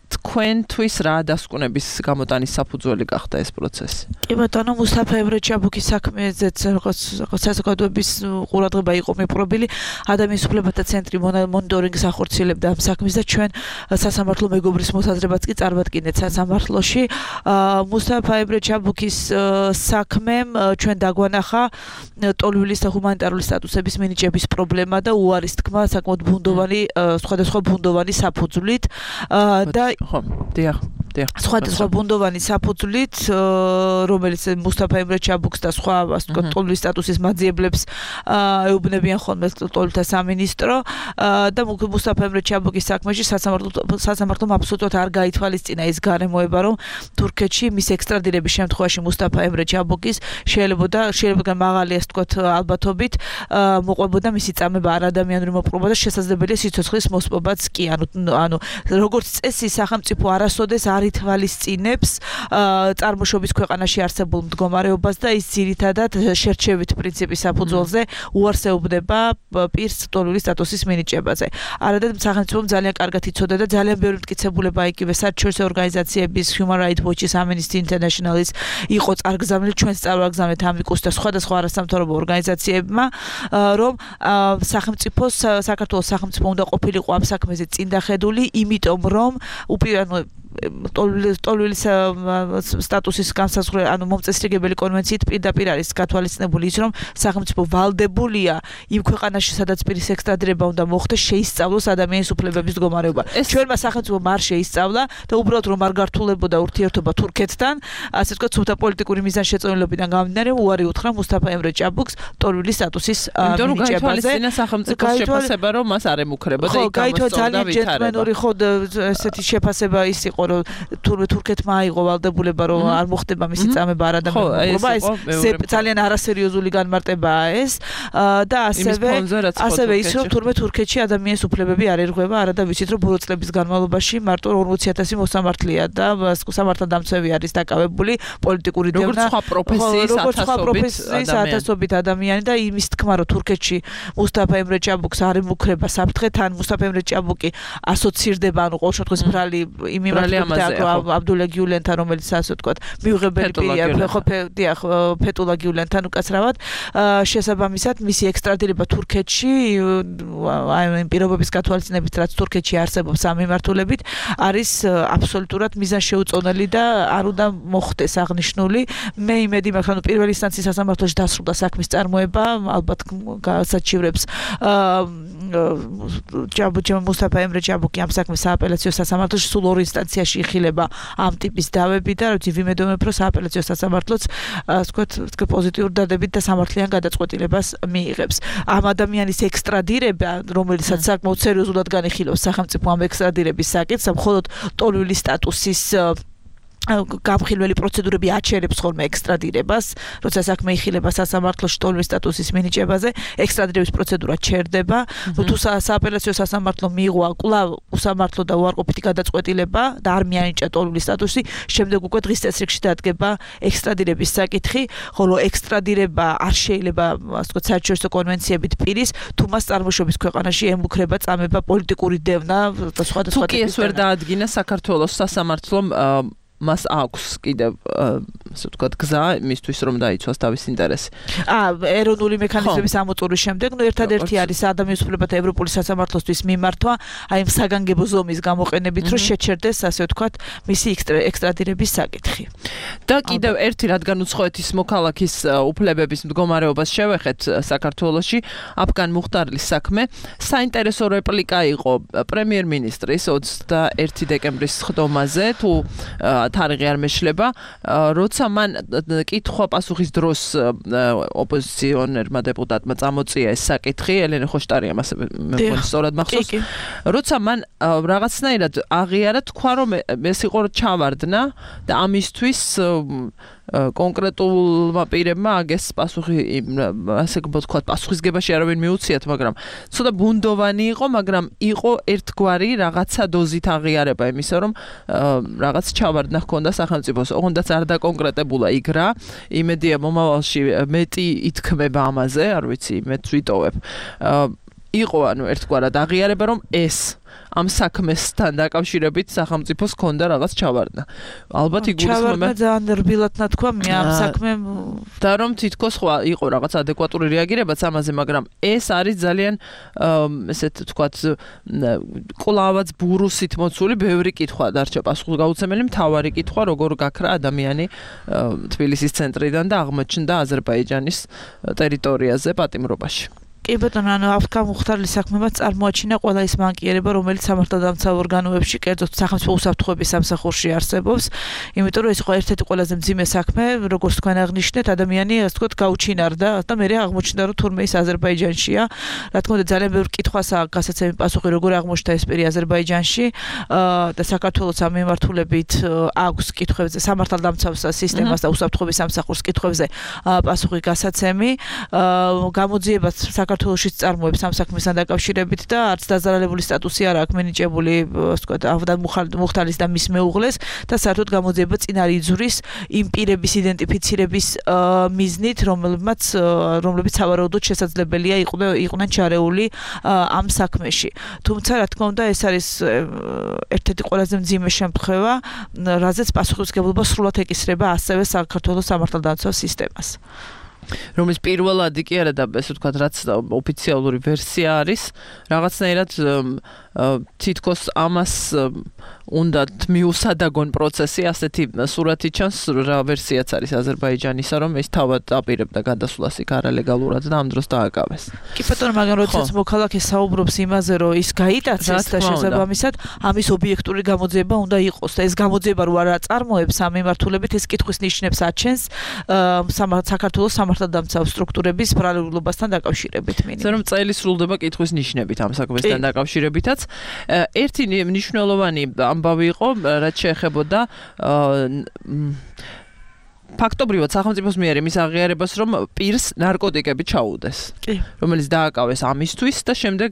თქვენთვის რა დასკვნების გამოტანის საფუძველი გახდა ეს პროცესი? კი ბატონო, მუსტაფა ემრე ჩაბუქის საქმეზეც როგორც საზოგადოების ყურადღება იყო მიპყრობილი, ადამიანის უფლებათა ცენტრი მონიტორინგს ახორციელებდა ამ საქმეს და ჩვენ სასამართლო მეგობრის მოსაზრებაც კი წარმატკინეთ სასამართლოში. მუსტაფა ემრე ჩაბუქის საქმემ ჩვენ დაგვანახა ტოლვილის და ჰუმანიტარული სტატუსების მინიჭების პრობლემა და უარის თქმა საკმაოდ ბუნდოვანი, სხვადასხვა ბუნდოვანი საფუძვლით და ხო, დიახ. სხვადასხვა ბუნდოვანი საფუძვლით, რომელიც მუსტაფა ემრე ჩაბუქს და სხვა ასე ვთქვათ ტოლვილის სტატუსის მაძიებლებს ეუბნებიან ხოლმე ტოლვილთა სამინისტრო და მუსტაფა ემრე ჩაბუქის საქმეში სასამართლომ აბსოლუტურად არ გაითვალისწინა ის გარემოება, რომ თურქეთში მის ექსტრადირების შემთხვევაში მუსტაფა ემრე ჩაბუქის შეიძლება მაღალი ასე ვთქვათ ალბათობით მოყვებოდა მისი წამება არადამიანური მოპყრობა და შესაძლებელია სიცოცხლის მოსპობაც კი, ანუ როგორც წესი სახელმწიფო არასოდეს არ არ ითვალისწინებს წარმოშობის ქვეყანაში არსებულ მდგომარეობას და ის ძირითადად შერჩევით პრინციპის საფუძველზე უარსებდება პირს ტოლული სტატუსის მინიჭებაზე. არადად სახელმწიფომ ძალიან კარგად იცოდა და ძალიან ბევრი მტკიცებულება იგივე საერთაშორისო ორგანიზაციების Human Rights Watch-ის, Amnesty International-ის იყო წარგზავნილი, ჩვენც წარვაგზავნეთ ამიკუს და სხვადასხვა არასამთავრობო ორგანიზაციებმა, რომ საქართველოს სახელმწიფო უნდა ყოფილიყო ამ საქმეზე წინდახედული, იმიტომ რომ ტოლული სტატუსის განსაზღვრება, ანუ მომწესრიგებელი კონვენციით პირდაპირ არის გათვალისწინებული ის, რომ სახელმწიფო ვალდებულია იმ ქვეყანაში, სადაც პირის ექსტრადირება უნდა მოხდეს, შეისწავლოს ადამიანის უფლებების მდგომარეობა. ჩვენმა სახელმწიფომ არ შეისწავლა და უბრალოდ რომ არ გართულებოდა ურთიერთობა თურქეთთან, ასე ვთქვათ, სუფთა პოლიტიკური მიზანშეწონილობიდან გამომდინარე, უარი უთხრა მუსტაფა ემრე ჭაბუკს ტოლული სტატუსის მინიჭებაზე. გაითვალისწინა სახელმწიფოს შეფასება, რომ მას არ ემუქრებოდა, იქ გამოსწორდა ძალიან ჯენტლმენური ხოდ ესეთი შეფასება ის იყო, რომ თურქეთმა აიღო ვალდებულება, რომ არ მოხდება მისი წამება არადამეურობა, ეს ძალიან არასერიოზული განმარტებაა ეს და ასევე ის, რომ თურქეთში ადამიანის უფლებები არ ერღვევა, არადა ვიცით, რომ ბოლო წლების განმავლობაში მარტო 40,000 მოსამართლეა და სამართალდამცავი არის დაკავებული პოლიტიკური დევნა, როგორც სხვა პროფესიის ათასობით ადამიანი და იმის თქმა, რომ თურქეთში მუსტაფა ემრე ჭაბუკს არ ემუქრება საფრთხეთან, მუსტაფა ემრე ჭაბუკი ასოცირდება, ანუ ყოველ შემთხვევაში ბრალი იმ აბდულა გიულენთან, რომელიც ასე ვთქვათ, მიუღებელი პირია, ფეტულა გიულენთან უკაცრავად, შესაბამისად მისი ექსტრადირება თურქეთში, აი იმ პირობების გათვალისწინებით, რაც თურქეთში არსებობს ამ მიმართულებით, არის აბსოლუტურად მიზანშეუწონელი და არ უნდა მოხდეს აღნიშნული. მე იმედი მაქვს, ანუ პირველი ინსტანციის სასამართლოში დასრულდა საქმის წარმოება, ალბათ გასაჩივრებს მუსტაფა ემრე ჭაბუკი ამ საქმეს სააპელაციო სასამართლოში სულ ორ ინსტანციაში იხილება ამ ტიპის დავები და ვიმედოვნებ, რომ სააპელაციო სასამართლოც ვთქვათ პოზიტიურ დადებით და სამართლიან გადაწყვეტილებას მიიღებს. ამ ადამიანის ექსტრადირება, რომელსაც საკმაოდ სერიოზულად განიხილავს სახელმწიფო ამ ექსტრადირების საკითხს, მხოლოდ ტოლული სტატუსის გამხილველი პროცედურები აჩერებს ხოლმე ექსტრადირებას, როცა საქმე იხილება სასამართლოში ტოლული სტატუსის მინიჭებაზე, ექსტრადირების პროცედურა ჩერდება. თუ სააპელაციო სასამართლომ მიიღო კვლავ უსამართლო და უარყოფითი გადაწყვეტილება და არ მიანიჭა ტოლული სტატუსი, შემდეგ უკვე დღის წესრიგში დადგება ექსტრადირების საკითხი, ხოლო ექსტრადირება არ შეიძლება, ასე ვთქვათ, საერთაშორისო კონვენციებით პირის, თუ მას წარმოშობის ქვეყანაში ემუქრება წამება პოლიტიკური დევნა და სხვადასხვა ტიპის. თუ კი ეს ვერ დაადგინა საქართველოს სასამართლომ მას აქვს კიდევ ასე ვთქვათ გზა იმისთვის რომ დაიცვას თავის ინტერესი. ეროვნული მექანიზმების ამოწურვის შემდეგ, ერთადერთი არის ადამიანის უფლებათა ევროპული სასამართლოსთვის მიმართვა, აი ამ საგანგებო ზომის გამოყენებით, რომ შეჩერდეს ასე ვთქვათ მისი ექსტრადირების საკითხი. და კიდევ ერთი, რადგან უცხოეთის მოქალაქის უფლებების მდგომარეობას შევეხეთ საქართველოში, აფგან მუხტარლის საქმე, საინტერესო რეპლიკა იყო პრემიერ-მინისტრის 21 დეკემბრის ხდომაზე, თუ თარიღი არ მეშლება, როცა მან კითხვა-პასუხის დროს ოპოზიციონერმა დეპუტატმა წამოწია ეს საკითხი, ელენე ხოშტარიამ ასე მეგონი სწორად მახსოვს, როცა მან რაღაცნაირად აღიარა, თქვა რომ ეს იყო ჩავარდნა და ამისთვის კონკრეტულმა პირებმა აგეს პასუხი, ასე ვთქვათ, პასუხისგებაში არავინ მიუციათ, მაგრამ ცოტა ბუნდოვანი იყო, მაგრამ იყო ერთგვარი რაღაცა დოზით აღიარება იმისა, რომ რაღაც ჩავარდნა ჰქონდა სახელმწიფოს. ოღონდაც არ დაკონკრეტებულა იქ რა. იმედია მომავალში მეტი ითქმება ამაზე, არ ვიცი, მეც ვიტოვებ. იყო ანუ ერთგვარად აღიარება, რომ ეს ამ საქმესთან დაკავშირებით სახელმწიფოს ჰქონდა რაღაც ჩავარდნა. ალბათ იგულისხმება. ჩავარდნა ძალიან რბილად ნათქვა მე ამ საქმემ და რომ თითქოს იყო რაღაც ადეკვატური რეაგირებაც ამაზე, მაგრამ ეს არის ძალიან ესეთ ვთქვათ კლავაც ბურუსით მოცული ბევრი კითხვა დარჩა პასუხისგაუცემელი, მთავარი კითხვა, როგორ გაქრა ადამიანი თბილისის ცენტრიდან და აღმოჩნდა აზერბაიჯანის ტერიტორიაზე პატიმრობაში. კი ბატონო, ანუ აფგან მუხტარლის საქმემაც წარმოაჩინა ყველა ის მანკიერება, რომელიც სამართალდამცავ ორგანოებში, კერძოდ სახელმწიფო უსაფრთხოების სამსახურში არსებობს, იმიტომ რომ ეს იყო ერთ-ერთი ყველაზე მძიმე საქმე, როგორც თქვენ აღნიშნეთ, ადამიანი, ასე ვთქვათ, გაუჩინარდა და მე აღმოჩნდა, რომ თურმე ის აზერბაიჯანშია. რა თქმა უნდა, ძალიან ბევრი კითხვასაა გასაცემი პასუხი, როგორ აღმოჩნდა ეს პირი აზერბაიჯანში და საქართველოს ამ მიმართულებით აქვს კითხვებზე, სამართალდამცავ სისტემას და უსაფრთხოების სამსახურს კითხვებზე პასუხი გასაცემი. გამოძიებას საქართველოში წარმოებს ამ საქმესთან დაკავშირებით და არც დაზარალებული სტატუსი არ აქვს მინიჭებული, ასე ვთქვათ, ავდან მუხტალის და მის მეუღლეს და საერთოდ გამოძიება წინ არ იძვრის იმ პირების იდენტიფიცირების მიზნით, რომლებიც სავარაუდოდ შესაძლებელია იყვნენ ჩარეული ამ საქმეში. თუმცა, რა თქმა უნდა, ეს არის ერთ-ერთი ყველაზე მძიმე შემთხვევა, რაზეც პასუხისმგებლობა სრულად ეკისრება ასევე საქართველოს სამართალდამცავ სისტემას. რომლის პირველადი კი არა და ესე ვთქვათ, რაც ოფიციალური ვერსია არის, რაღაცნაირად თითქოს ამას უნდა მიუსადაგონ პროცესი, ასეთი სურათი ჩანს, რა ვერსიაც არის აზერბაიჯანისა, რომ ეს თავად აპირებდა გადასვლას იქ არალეგალურად და ამ დროს დააკავეს. კი ბატონო, მაგრამ როდესაც მოქალაქე საუბრობს იმაზე, რომ ის გაიტაცეს და შესაბამისად ამის ობიექტური გამოძიება უნდა იყოს და ეს გამოძიება რო არ აწარმოებს ამ მიმართულებით, ეს კითხვის ნიშნებს აჩენს საქართველოს სამართალდამცავ სტრუქტურების ბრალებლობასთან დაკავშირებით მინიმუმ. ზოგადად წელი სრულდება კითხვის ნიშნებით ამ საქმესთან დაკავშირებითაც. ერთი მნიშვნელოვანი ამბავი იყო, რაც შეეხებოდა ფაქტობრივად სახელმწიფოს მიერ იმის აღიარებას, რომ პირს ნარკოტიკები ჩაუდეს, რომელიც დააკავეს ამისთვის და შემდეგ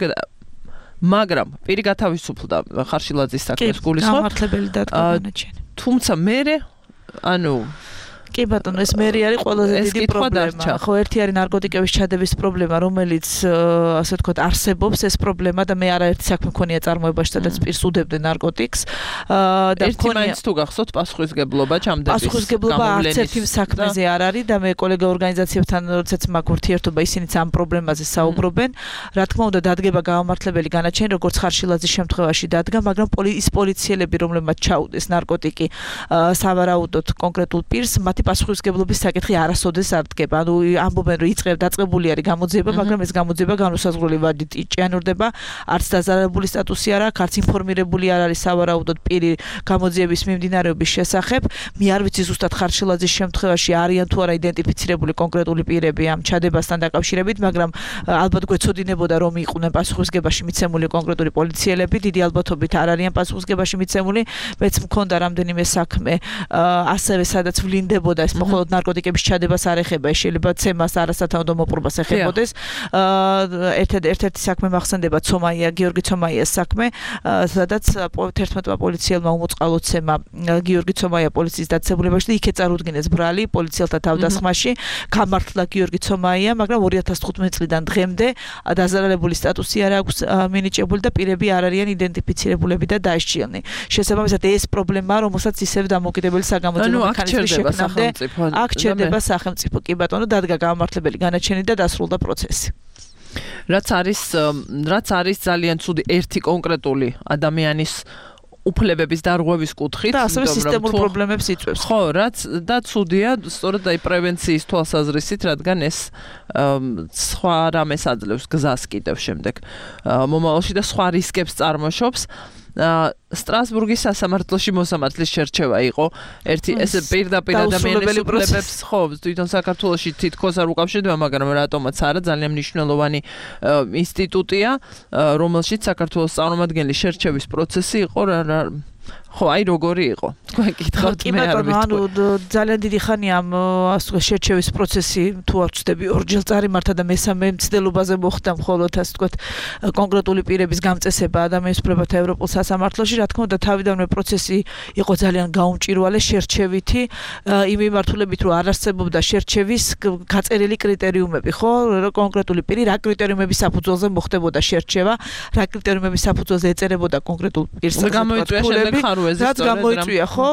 მაგრამ პირი გათავისუფლდა ხარშილაძის საქმეს გულისხმობ. გამართლებელი დადგა განაჩენი. თუმცა მერე კი ბატონო, ეს მერი არის ყველაზე დიდი პრობლემა. ხო, ერთი არის ნარკოტიკების ჩადების პრობლემა, რომელიც ასე ვთქვათ, არსებობს ეს პრობლემა და მე არაერთი საქმე მქონია წარმოებაში, სადაც პირს უდებდნენ ნარკოტიკს. და ერთი მაინც თუ გახსოვთ პასუხისმგებლობა ჩამდების. პასუხისმგებლობა არც ერთი საქმეზე არ არის და მე კოლეგა ორგანიზაციებთან როდესაც მაქვს ურთიერთობა, ისინიც ამ პრობლემაზე საუბრობენ. რა თქმა უნდა, დადგება გამართლებელი განაჩენი, როგორც ხარშილაძის შემთხვევაში დადგა, მაგრამ ის პოლიციელები, რომლებმაც ჩაუდეს ნარკოტიკი სავარაუდოდ კონკრეტულ პირს, მათი პასუხისმგებლობის საკითხი არასოდეს არ დგება. ანუ ამბობენ, რომ დაწყებული არის გამოძიება, მაგრამ ეს გამოძიება განუსაზღვრელი ვადით ჭიანურდება, არც დაზარალებული სტატუსი არ აქვს, არც ინფორმირებული არ არის სავარაუდოდ პირი გამოძიების მიმდინარეობის შესახებ. მე არ ვიცი ზუსტად ხარშილაძის შემთხვევაში არიან თუ არა იდენტიფიცირებული კონკრეტული პირები ამ ჩადებასთან დაკავშირებით, მაგრამ ალბათ გვეცოდინებოდა, რომ იყვნენ პასუხისმგებაში მიცემული კონკრეტული პოლიციელები, დიდი ალბათობით არ არიან პასუხისმგებაში მიცემული. მეც მქონდა რამდენიმე საქმე, ასევე სადაც ვლინდებოდა ეს მხოლოდ ნარკოტიკების ჩადებას არ ეხება, შეიძლება ცემას არასათანადო მოპყრობას ეხებოდეს. ერთ-ერთი საქმე მახსენდება გიორგი ცომაიას საქმე, სადაც 11 პოლიციელმა უმოწყალო ცემა გიორგი ცომაია პოლიციის დაწესებულებაში და იქ ეწარუდგინეს ბრალი პოლიციელთა თავდასხმაში, გამართლა გიორგი ცომაია, მაგრამ 2015 წლიდან დღემდე დაზარალებული სტატუსი არ აქვს მინიჭებული და პირები არ არიან იდენტიფიცირებულები და დაისჯილნი. შესაბამისად ეს პრობლემაა, რომელსაც ისევ დამოუკიდებელი საგამოძიებო მექანიზმი შექმნამდე აქ ჩერდება სახელმწიფო. კი ბატონო, დადგა გამართლებელი განაჩენი და დასრულდა პროცესი. რაც არის ძალიან ცუდი ერთი კონკრეტული ადამიანის უფლებების დარღვევის კუთხით და ასევე სისტემურ პრობლემებს იწვევს. ხო, რაც და ცუდია, სწორედ აი პრევენციის თვალსაზრისით, რადგან ეს სხვა რამეს აძლევს გზას კიდევ შემდეგ მომავალში და სხვა რისკებს წარმოშობს. სტრასბურგის სასამართლოში მოსამართლის შერჩევა იყო ერთი ეს პირდაპირ ადამიანის უფლებებს, ხო, თვითონ საქართველოში თითქოს არ უკავშირდება, მაგრამ რატომაც არა, ძალიან მნიშვნელოვანი ინსტიტუტია, რომელშიც საქართველოს წარმომადგენლის შერჩევის პროცესი იყო ხო, აი როგორი იყო. თქვენ გითხავთ მე არ ვიცი. ძალიან დიდი ხანია ამ შერჩევის პროცესი, თუ არ ვწდები, ორჯერ წარიმართა და მესამე მცდელობაზე მოხდა მხოლოდ ასე ვთქვათ კონკრეტული პირების გამწესება ადამიანის უფლებათა ევროპულ სასამართლოში. რა თქმა უნდა, თავიდანვე პროცესი იყო ძალიან გაუმჭირვალე შერჩევითი, იმ მიმართულებით, რომ არ არსებობდა შერჩევის გაწერილი კრიტერიუმები, ხო? კონკრეტული პირი რა კრიტერიუმების საფუძველზე მოხდებოდა შერჩევა, რა კრიტერიუმების საფუძველზე ეწერებოდა კონკრეტულ პირს. რაც გამოიწვია, ხო?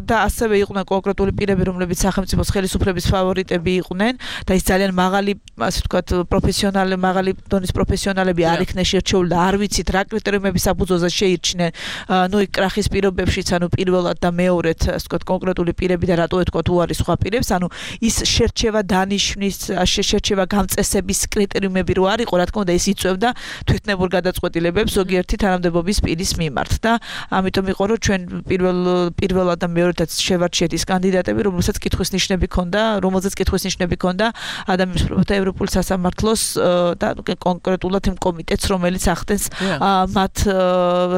და ასევე იყვნენ კონკრეტული პირები, რომლებიც სახელმწიფოს ხელისუფლების ფავორიტები იყვნენ და ის ძალიან მაღალი, ასე ვთქვათ, მაღალი დონის პროფესიონალები არ იქნენ შერჩეული და არ ვიცით რა კრიტერიუმების საფუძველზე შეირჩნენ. ნუ იქ კრახის პირობებშიც, ანუ პირველად და მეორედ, ასე ვთქვათ, კონკრეტული პირები და რატო ეთქვათ უარის სხვა პირებს, ანუ ის შერჩევა დანიშნის, შერჩევა გამწესების კრიტერიუმები რო არ იყო, რა თქმა უნდა, ეს იწვევდა თვითნებურ გადაწყვეტილებებს ზოგიერთი თანამდებობის პირის მიმართ და ამიტომ იყო რომ ჩვენ პირველად და მეორედაც შევარჩიეთ ის კანდიდატები, რომელსაც კითხვის ნიშნები ქონდა, ადამიანის უფლებათა ევროპული სასამართლოს და კონკრეტულად იმ კომიტეტს, რომელიც ახდენს მათ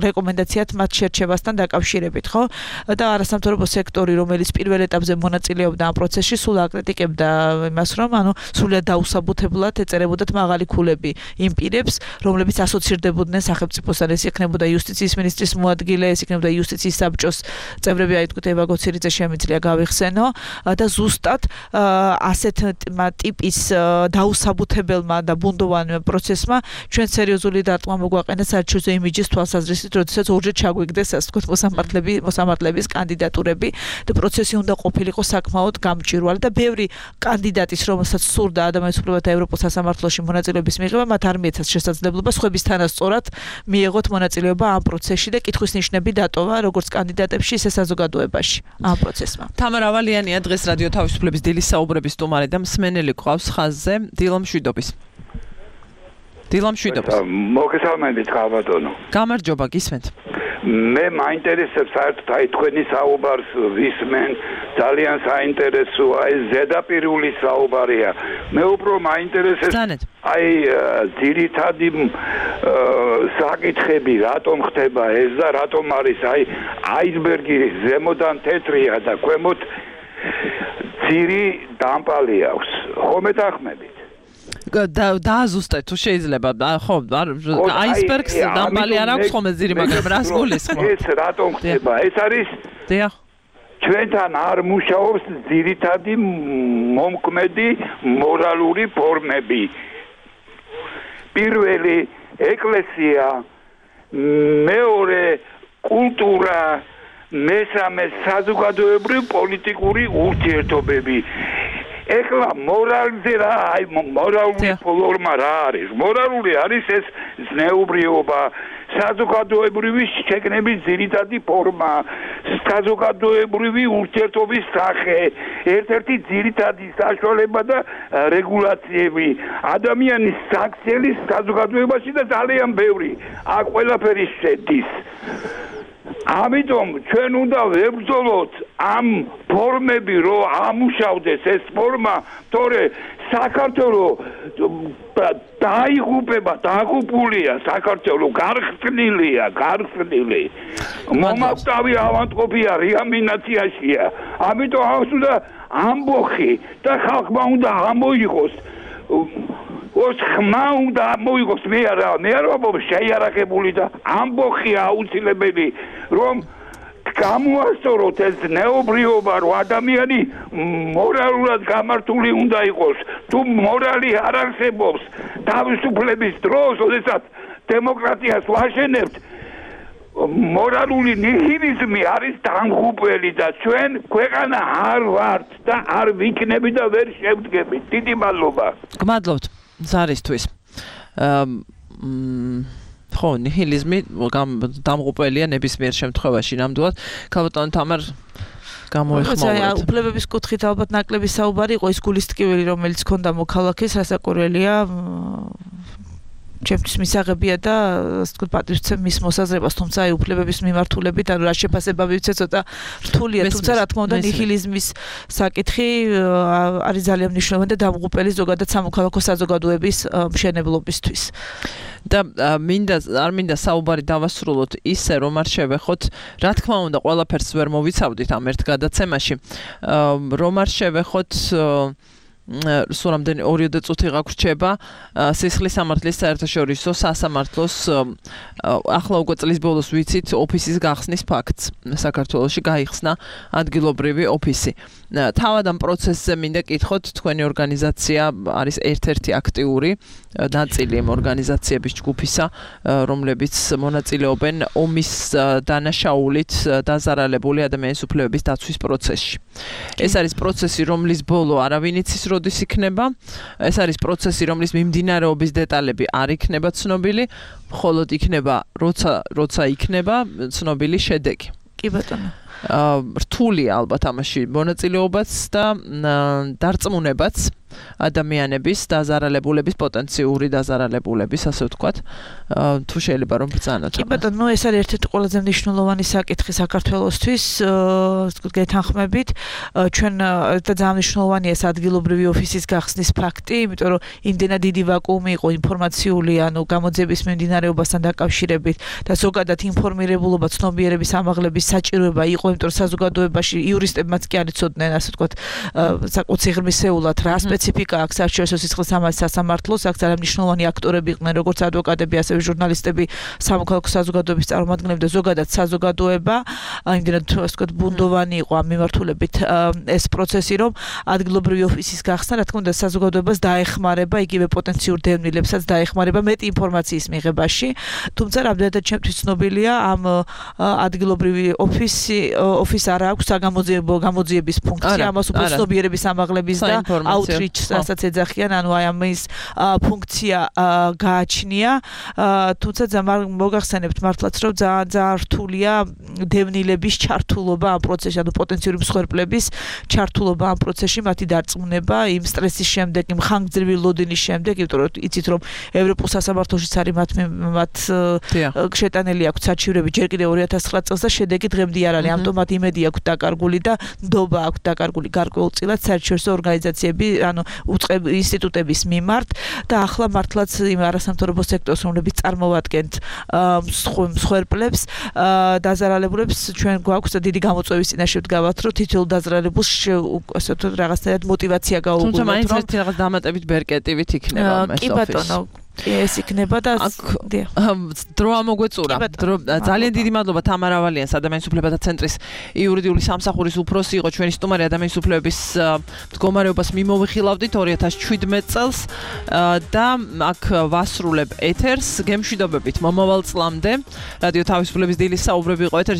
რეკომენდაციად მათ შერჩევასთან დაკავშირებით, ხო? და არასამთავრობო სექტორი, რომელიც პირველ ეტაპზე მონაწილეობდა ამ პროცესში, სულ აკრიტიკებდა იმას, რომ სრულად დაუსაბუთებლად ეწერებოდათ მაღალი ქულები იმ პირებს, რომლებიც ასოცირდებოდნენ სახელმწიფოსთან, ეს იქნებოდა იუსტიციის მინისტრის მოადგილე, ეს იქნებოდა იუსტიციის საბჭოს წევრები, აი თქვით ევა გოცირიძე შემიძლია გავიხსენო და ზუსტად ასეთ ტიპის დაუსაბუთებელმა და ბუნდოვან პროცესმა ჩვენ სერიოზული დარტყმა მოგვაყენა საერთაშორისო იმიჯის თვალსაზრისით, როდესაც ორჯერ ჩაგვიგდეს ასე ვთქვათ მოსამართლეების კანდიდატურები და პროცესი უნდა ყოფილიყო საკმაოდ გამჭვირვალე და ბევრი კანდიდატის, რომელსაც სურდა ადამიანის უფლებათა ევროპულ სასამართლოში მონაწილეობის მიღება, მათ არ მიეცათ შესაძლებლობა სხვებისთანავე მიეღოთ მონაწილეობა ამ პროცესში და კითხვის ნიშნები დატოვა როგორც კანდიდატებში, ისე საზოგადოებაში ამ პროცესმა. თამარ ავალიანია დღეს რადიო თავისუფლების დილის საუბრების სტუმარი და მსმენელი ყავს ხაზზე. დილო მშვიდობის. მოგესალმებით, ხალბატონო. გამარჯობა, გისმენთ. მე მაინტერესებს საერთოდ აი თქვენი საუბარს ვისმენ, ძალიან საინტერესოა, ეს ზედაპირული საუბარია. მე უფრო მაინტერესებს აი ძირითადი საკითხები, რატომ ხდება ეს და რატომ არის აი აისბერგი ზემოდან თეთრია და ქვემოთ ძირი დამპალი აქვს. ხომ ეთანხმებით? დააზუსტეთ თუ შეიძლება, ხო, აისბერგს დამპალი არ აქვს ხოლმე ძირი, მაგრამ რას გულისხმობთ? ეს რატომ ხდება? ეს არის ჩვენთან არ მუშაობს ძირითადი მომქმედი მორალური ფორმები. პირველი ეკლესია, მეორე კულტურა, მესამე საზოგადოებრივი პოლიტიკური ურთიერთობები. ეხლა მორალზე რა, აი მორალური ფორმა რა არის? მორალური არის ეს ზნეუბრიობა, საზოგადოებრივი შეგნების ძირითადი ფორმა, საზოგადოებრივი ურთიერთობის სახე, ერთ-ერთი ძირითადი საშუალება და რეგულაციები, ადამიანის საქციელი საზოგადოებაში და ძალიან ბევრი. აქ ყველაფერი შედის. ამიტომ ჩვენ უნდა ვებრძოლოთ ამ ფორმები, რომ ამუშავდეს ეს ფორმა, თორე საქართველოს დაიღუპება, დაღუპულია საქართველოს, გარხსნილი. მომავტავი ავადმყოფია, რეანიმაციაშია. ამიტომ აქვს უნდა ამბოხი და ხალხმა უნდა ამოიღოს. ოს ხმა უნდა მოიგოს მე არ ვამბობ შეიარაღებული და ამბოხია აუცილებელი რომ გამოასწოროთ ეს ნეობრიობა რომ ადამიანი მორალურად გამართული უნდა იყოს თუ მორალი არ არსებობს თავისუფლების დროს როდესაც დემოკრატიას ვაშენებთ მორალური ნიჰილიზმი არის დამღუპველი და ჩვენ ქვეყანა არ ვართ და არ ვიქნები და ვერ შევდგებით. დიდი მადლობა. გმადლობთ ზარისთვის. ხო, ნიჰილიზმი დამღუპველია ნებისმიერ შემთხვევაში ნამდვილად. ქალბატონ თამარ გამოიხმოვეთ. უფლებების კუთხით ალბათ ნაკლები საუბარი იყო ის გულისტკივილი რომელიც ჰქონდა მოქალაქეს რასაკვირველია ჩემთვის მისაღებია და ასე ვთქვათ პატრიცემ მის მოსაზრებას თუმცა აი უფლებების მიმართულებით ანუ რა შეფასება მივცე ცოტა რთულია თუმცა რა თქმა უნდა ნიჰილიზმის საკითხი არის ძალიან მნიშვნელოვანი და დამღუპელი ზოგადად სამოქალაქო საზოგადოების მშენებლობისთვის და არ მინდა საუბარი დავასრულოთ ისე რომ არ შევეხოთ რა თქმა უნდა ყველაფერს ვერ მოვიცავდით ამ ერთ გადაცემაში რომ არ შევეხოთ სულ რამდენი 2 წუთი გაგვრჩება სისხლის სამართლის საერთაშორისო სასამართლოს ახლა უკვე წლის ბოლოს ვიცით ოფისის გახსნის ფაქტს საქართველოში გაიხსნა ადგილობრივი ოფისი თავად ამ პროცესზე მინდა კითხოთ თქვენი ორგანიზაცია არის ერთ-ერთი აქტიური ნაწილი ამ ორგანიზაციების ჯგუფისა რომლებიც მონაწილეობენ ომის დანაშაულით დაზარალებული ადამიანის უფლებების დაცვის პროცესში ეს არის პროცესი რომლის ბოლო არავინ იცის როდის იქნება ეს არის პროცესი რომლის მიმდინარეობის დეტალები არ იქნება ცნობილი მხოლოდ იქნება როცა იქნება ცნობილი შედეგი კი ბატონო რთულია ალბათ ამაში მონაწილეობაც და დარწმუნებაც ადამიანების დაზარალებულების პოტენციური დაზარალებულების, ასე ვთქვათ, თუ შეიძლება რომ ბრძანოთ. კი ბატონო, ეს არის ერთ-ერთი ყველაზე მნიშვნელოვანი საკითხი საქართველოსთვის, გეთანხმებით. ჩვენ და ძალიან მნიშვნელოვანია ეს ადგილობრივი ოფისის გახსნის ფაქტი, იმიტომ რომ იმდენად დიდი ვაკუუმი იყო ინფორმაციული, გამოძიების მიმდინარეობასთან დაკავშირებით და ზოგადად ინფორმირებულობა, ცნობიერების ამაღლების საჭიროება იყო, იმიტომ რომ საზოგადოებაში იურისტებმაც კი არ იცოდნენ, ასე ვთქვათ, საკუთი ღირმისეულად რა სპეციფიკა აქვს საერთაშორისო სისხლის სამართლის სასამართლოს, აქ ძალიან მნიშვნელოვანი აქტორები იყვნენ, როგორც ადვოკატები, ასევე ჟურნალისტები, სამოქალაქო საზოგადოების წარმომადგენლები და ზოგადად საზოგადოება, იმდენად ასე ვთქვათ, ბუნდოვანი იყო ამ მიმართულებით ეს პროცესი, რომ ადგილობრივი ოფისის გახსნა, რა თქმა უნდა, საზოგადოებას დაეხმარება, იგივე პოტენციურ დევნილებსაც დაეხმარება მეტი ინფორმაციის მიღებაში, თუმცა რამდენადაც ჩემთვის ცნობილია, ამ ადგილობრივი ოფის არ აქვს გამოძიების ფუნქცია, ამას უფრო ცნობიერების ამაღლების და outreach-ს, რასაც ეძახიან, აი ამის ფუნქცია გააჩნია, თუმცა მოგახსენებთ მართლაც, რომ ძალიან რთულია დევნილების ჩართულობა ამ პროცესში, პოტენციური მსხვერპლების ჩართულობა ამ პროცესში, მათი დარწმუნება იმ სტრესის შემდეგ, იმ ხანგრძლივი ლოდინის შემდეგ, იმიტომ რომ იცით რომ ევროპულ სასამართლოშიც არის მათ შეტანილი აქვს საჩივრები ჯერ კიდევ 2009 წელს და შედეგი დღემდე არ არის, ამიტომაც იმედი აქვს დაკარგული და ნდობა აქვს დაკარგული გარკვეულწილად საერთაშორისო ორგანიზაციები, უწყები ინსტიტუტების მიმართ და ახლა მართლაც იმ არასამთავრობო სექტორს, რომლებიც წარმოვადგენთ მსხვერპლებს, დაზარალებულებს, ჩვენ გვაქვს დიდი გამოწვევის წინაშე ვდგავართ, რომ თითოეულ დაზარალებულს ასე ვთქვათ რაღაცნაირად мотиваცია გაუგულოთ, თუმცა მაინც ერთი რაღაც დამატებით ბერკეტივით იქნება ეს ოფისი. კი ბატონო, ეს იქნება და დრო ამოგვეწურა. ძალიან დიდი მადლობა თამარა ვალიანს, ადამიანის უფლებათა ცენტრის იურიდიული სამსახურის უფროსი იყო ჩვენი სტუმარი, ადამიანის უფლებების მდგომარეობას მიმოვიხილავდით 2017 წელს და აქ ვასრულებ ეთერს გემშვიდობებით მომავალ წლამდე. რადიო თავისუფლების დილის საუბრები იყო ეთერში.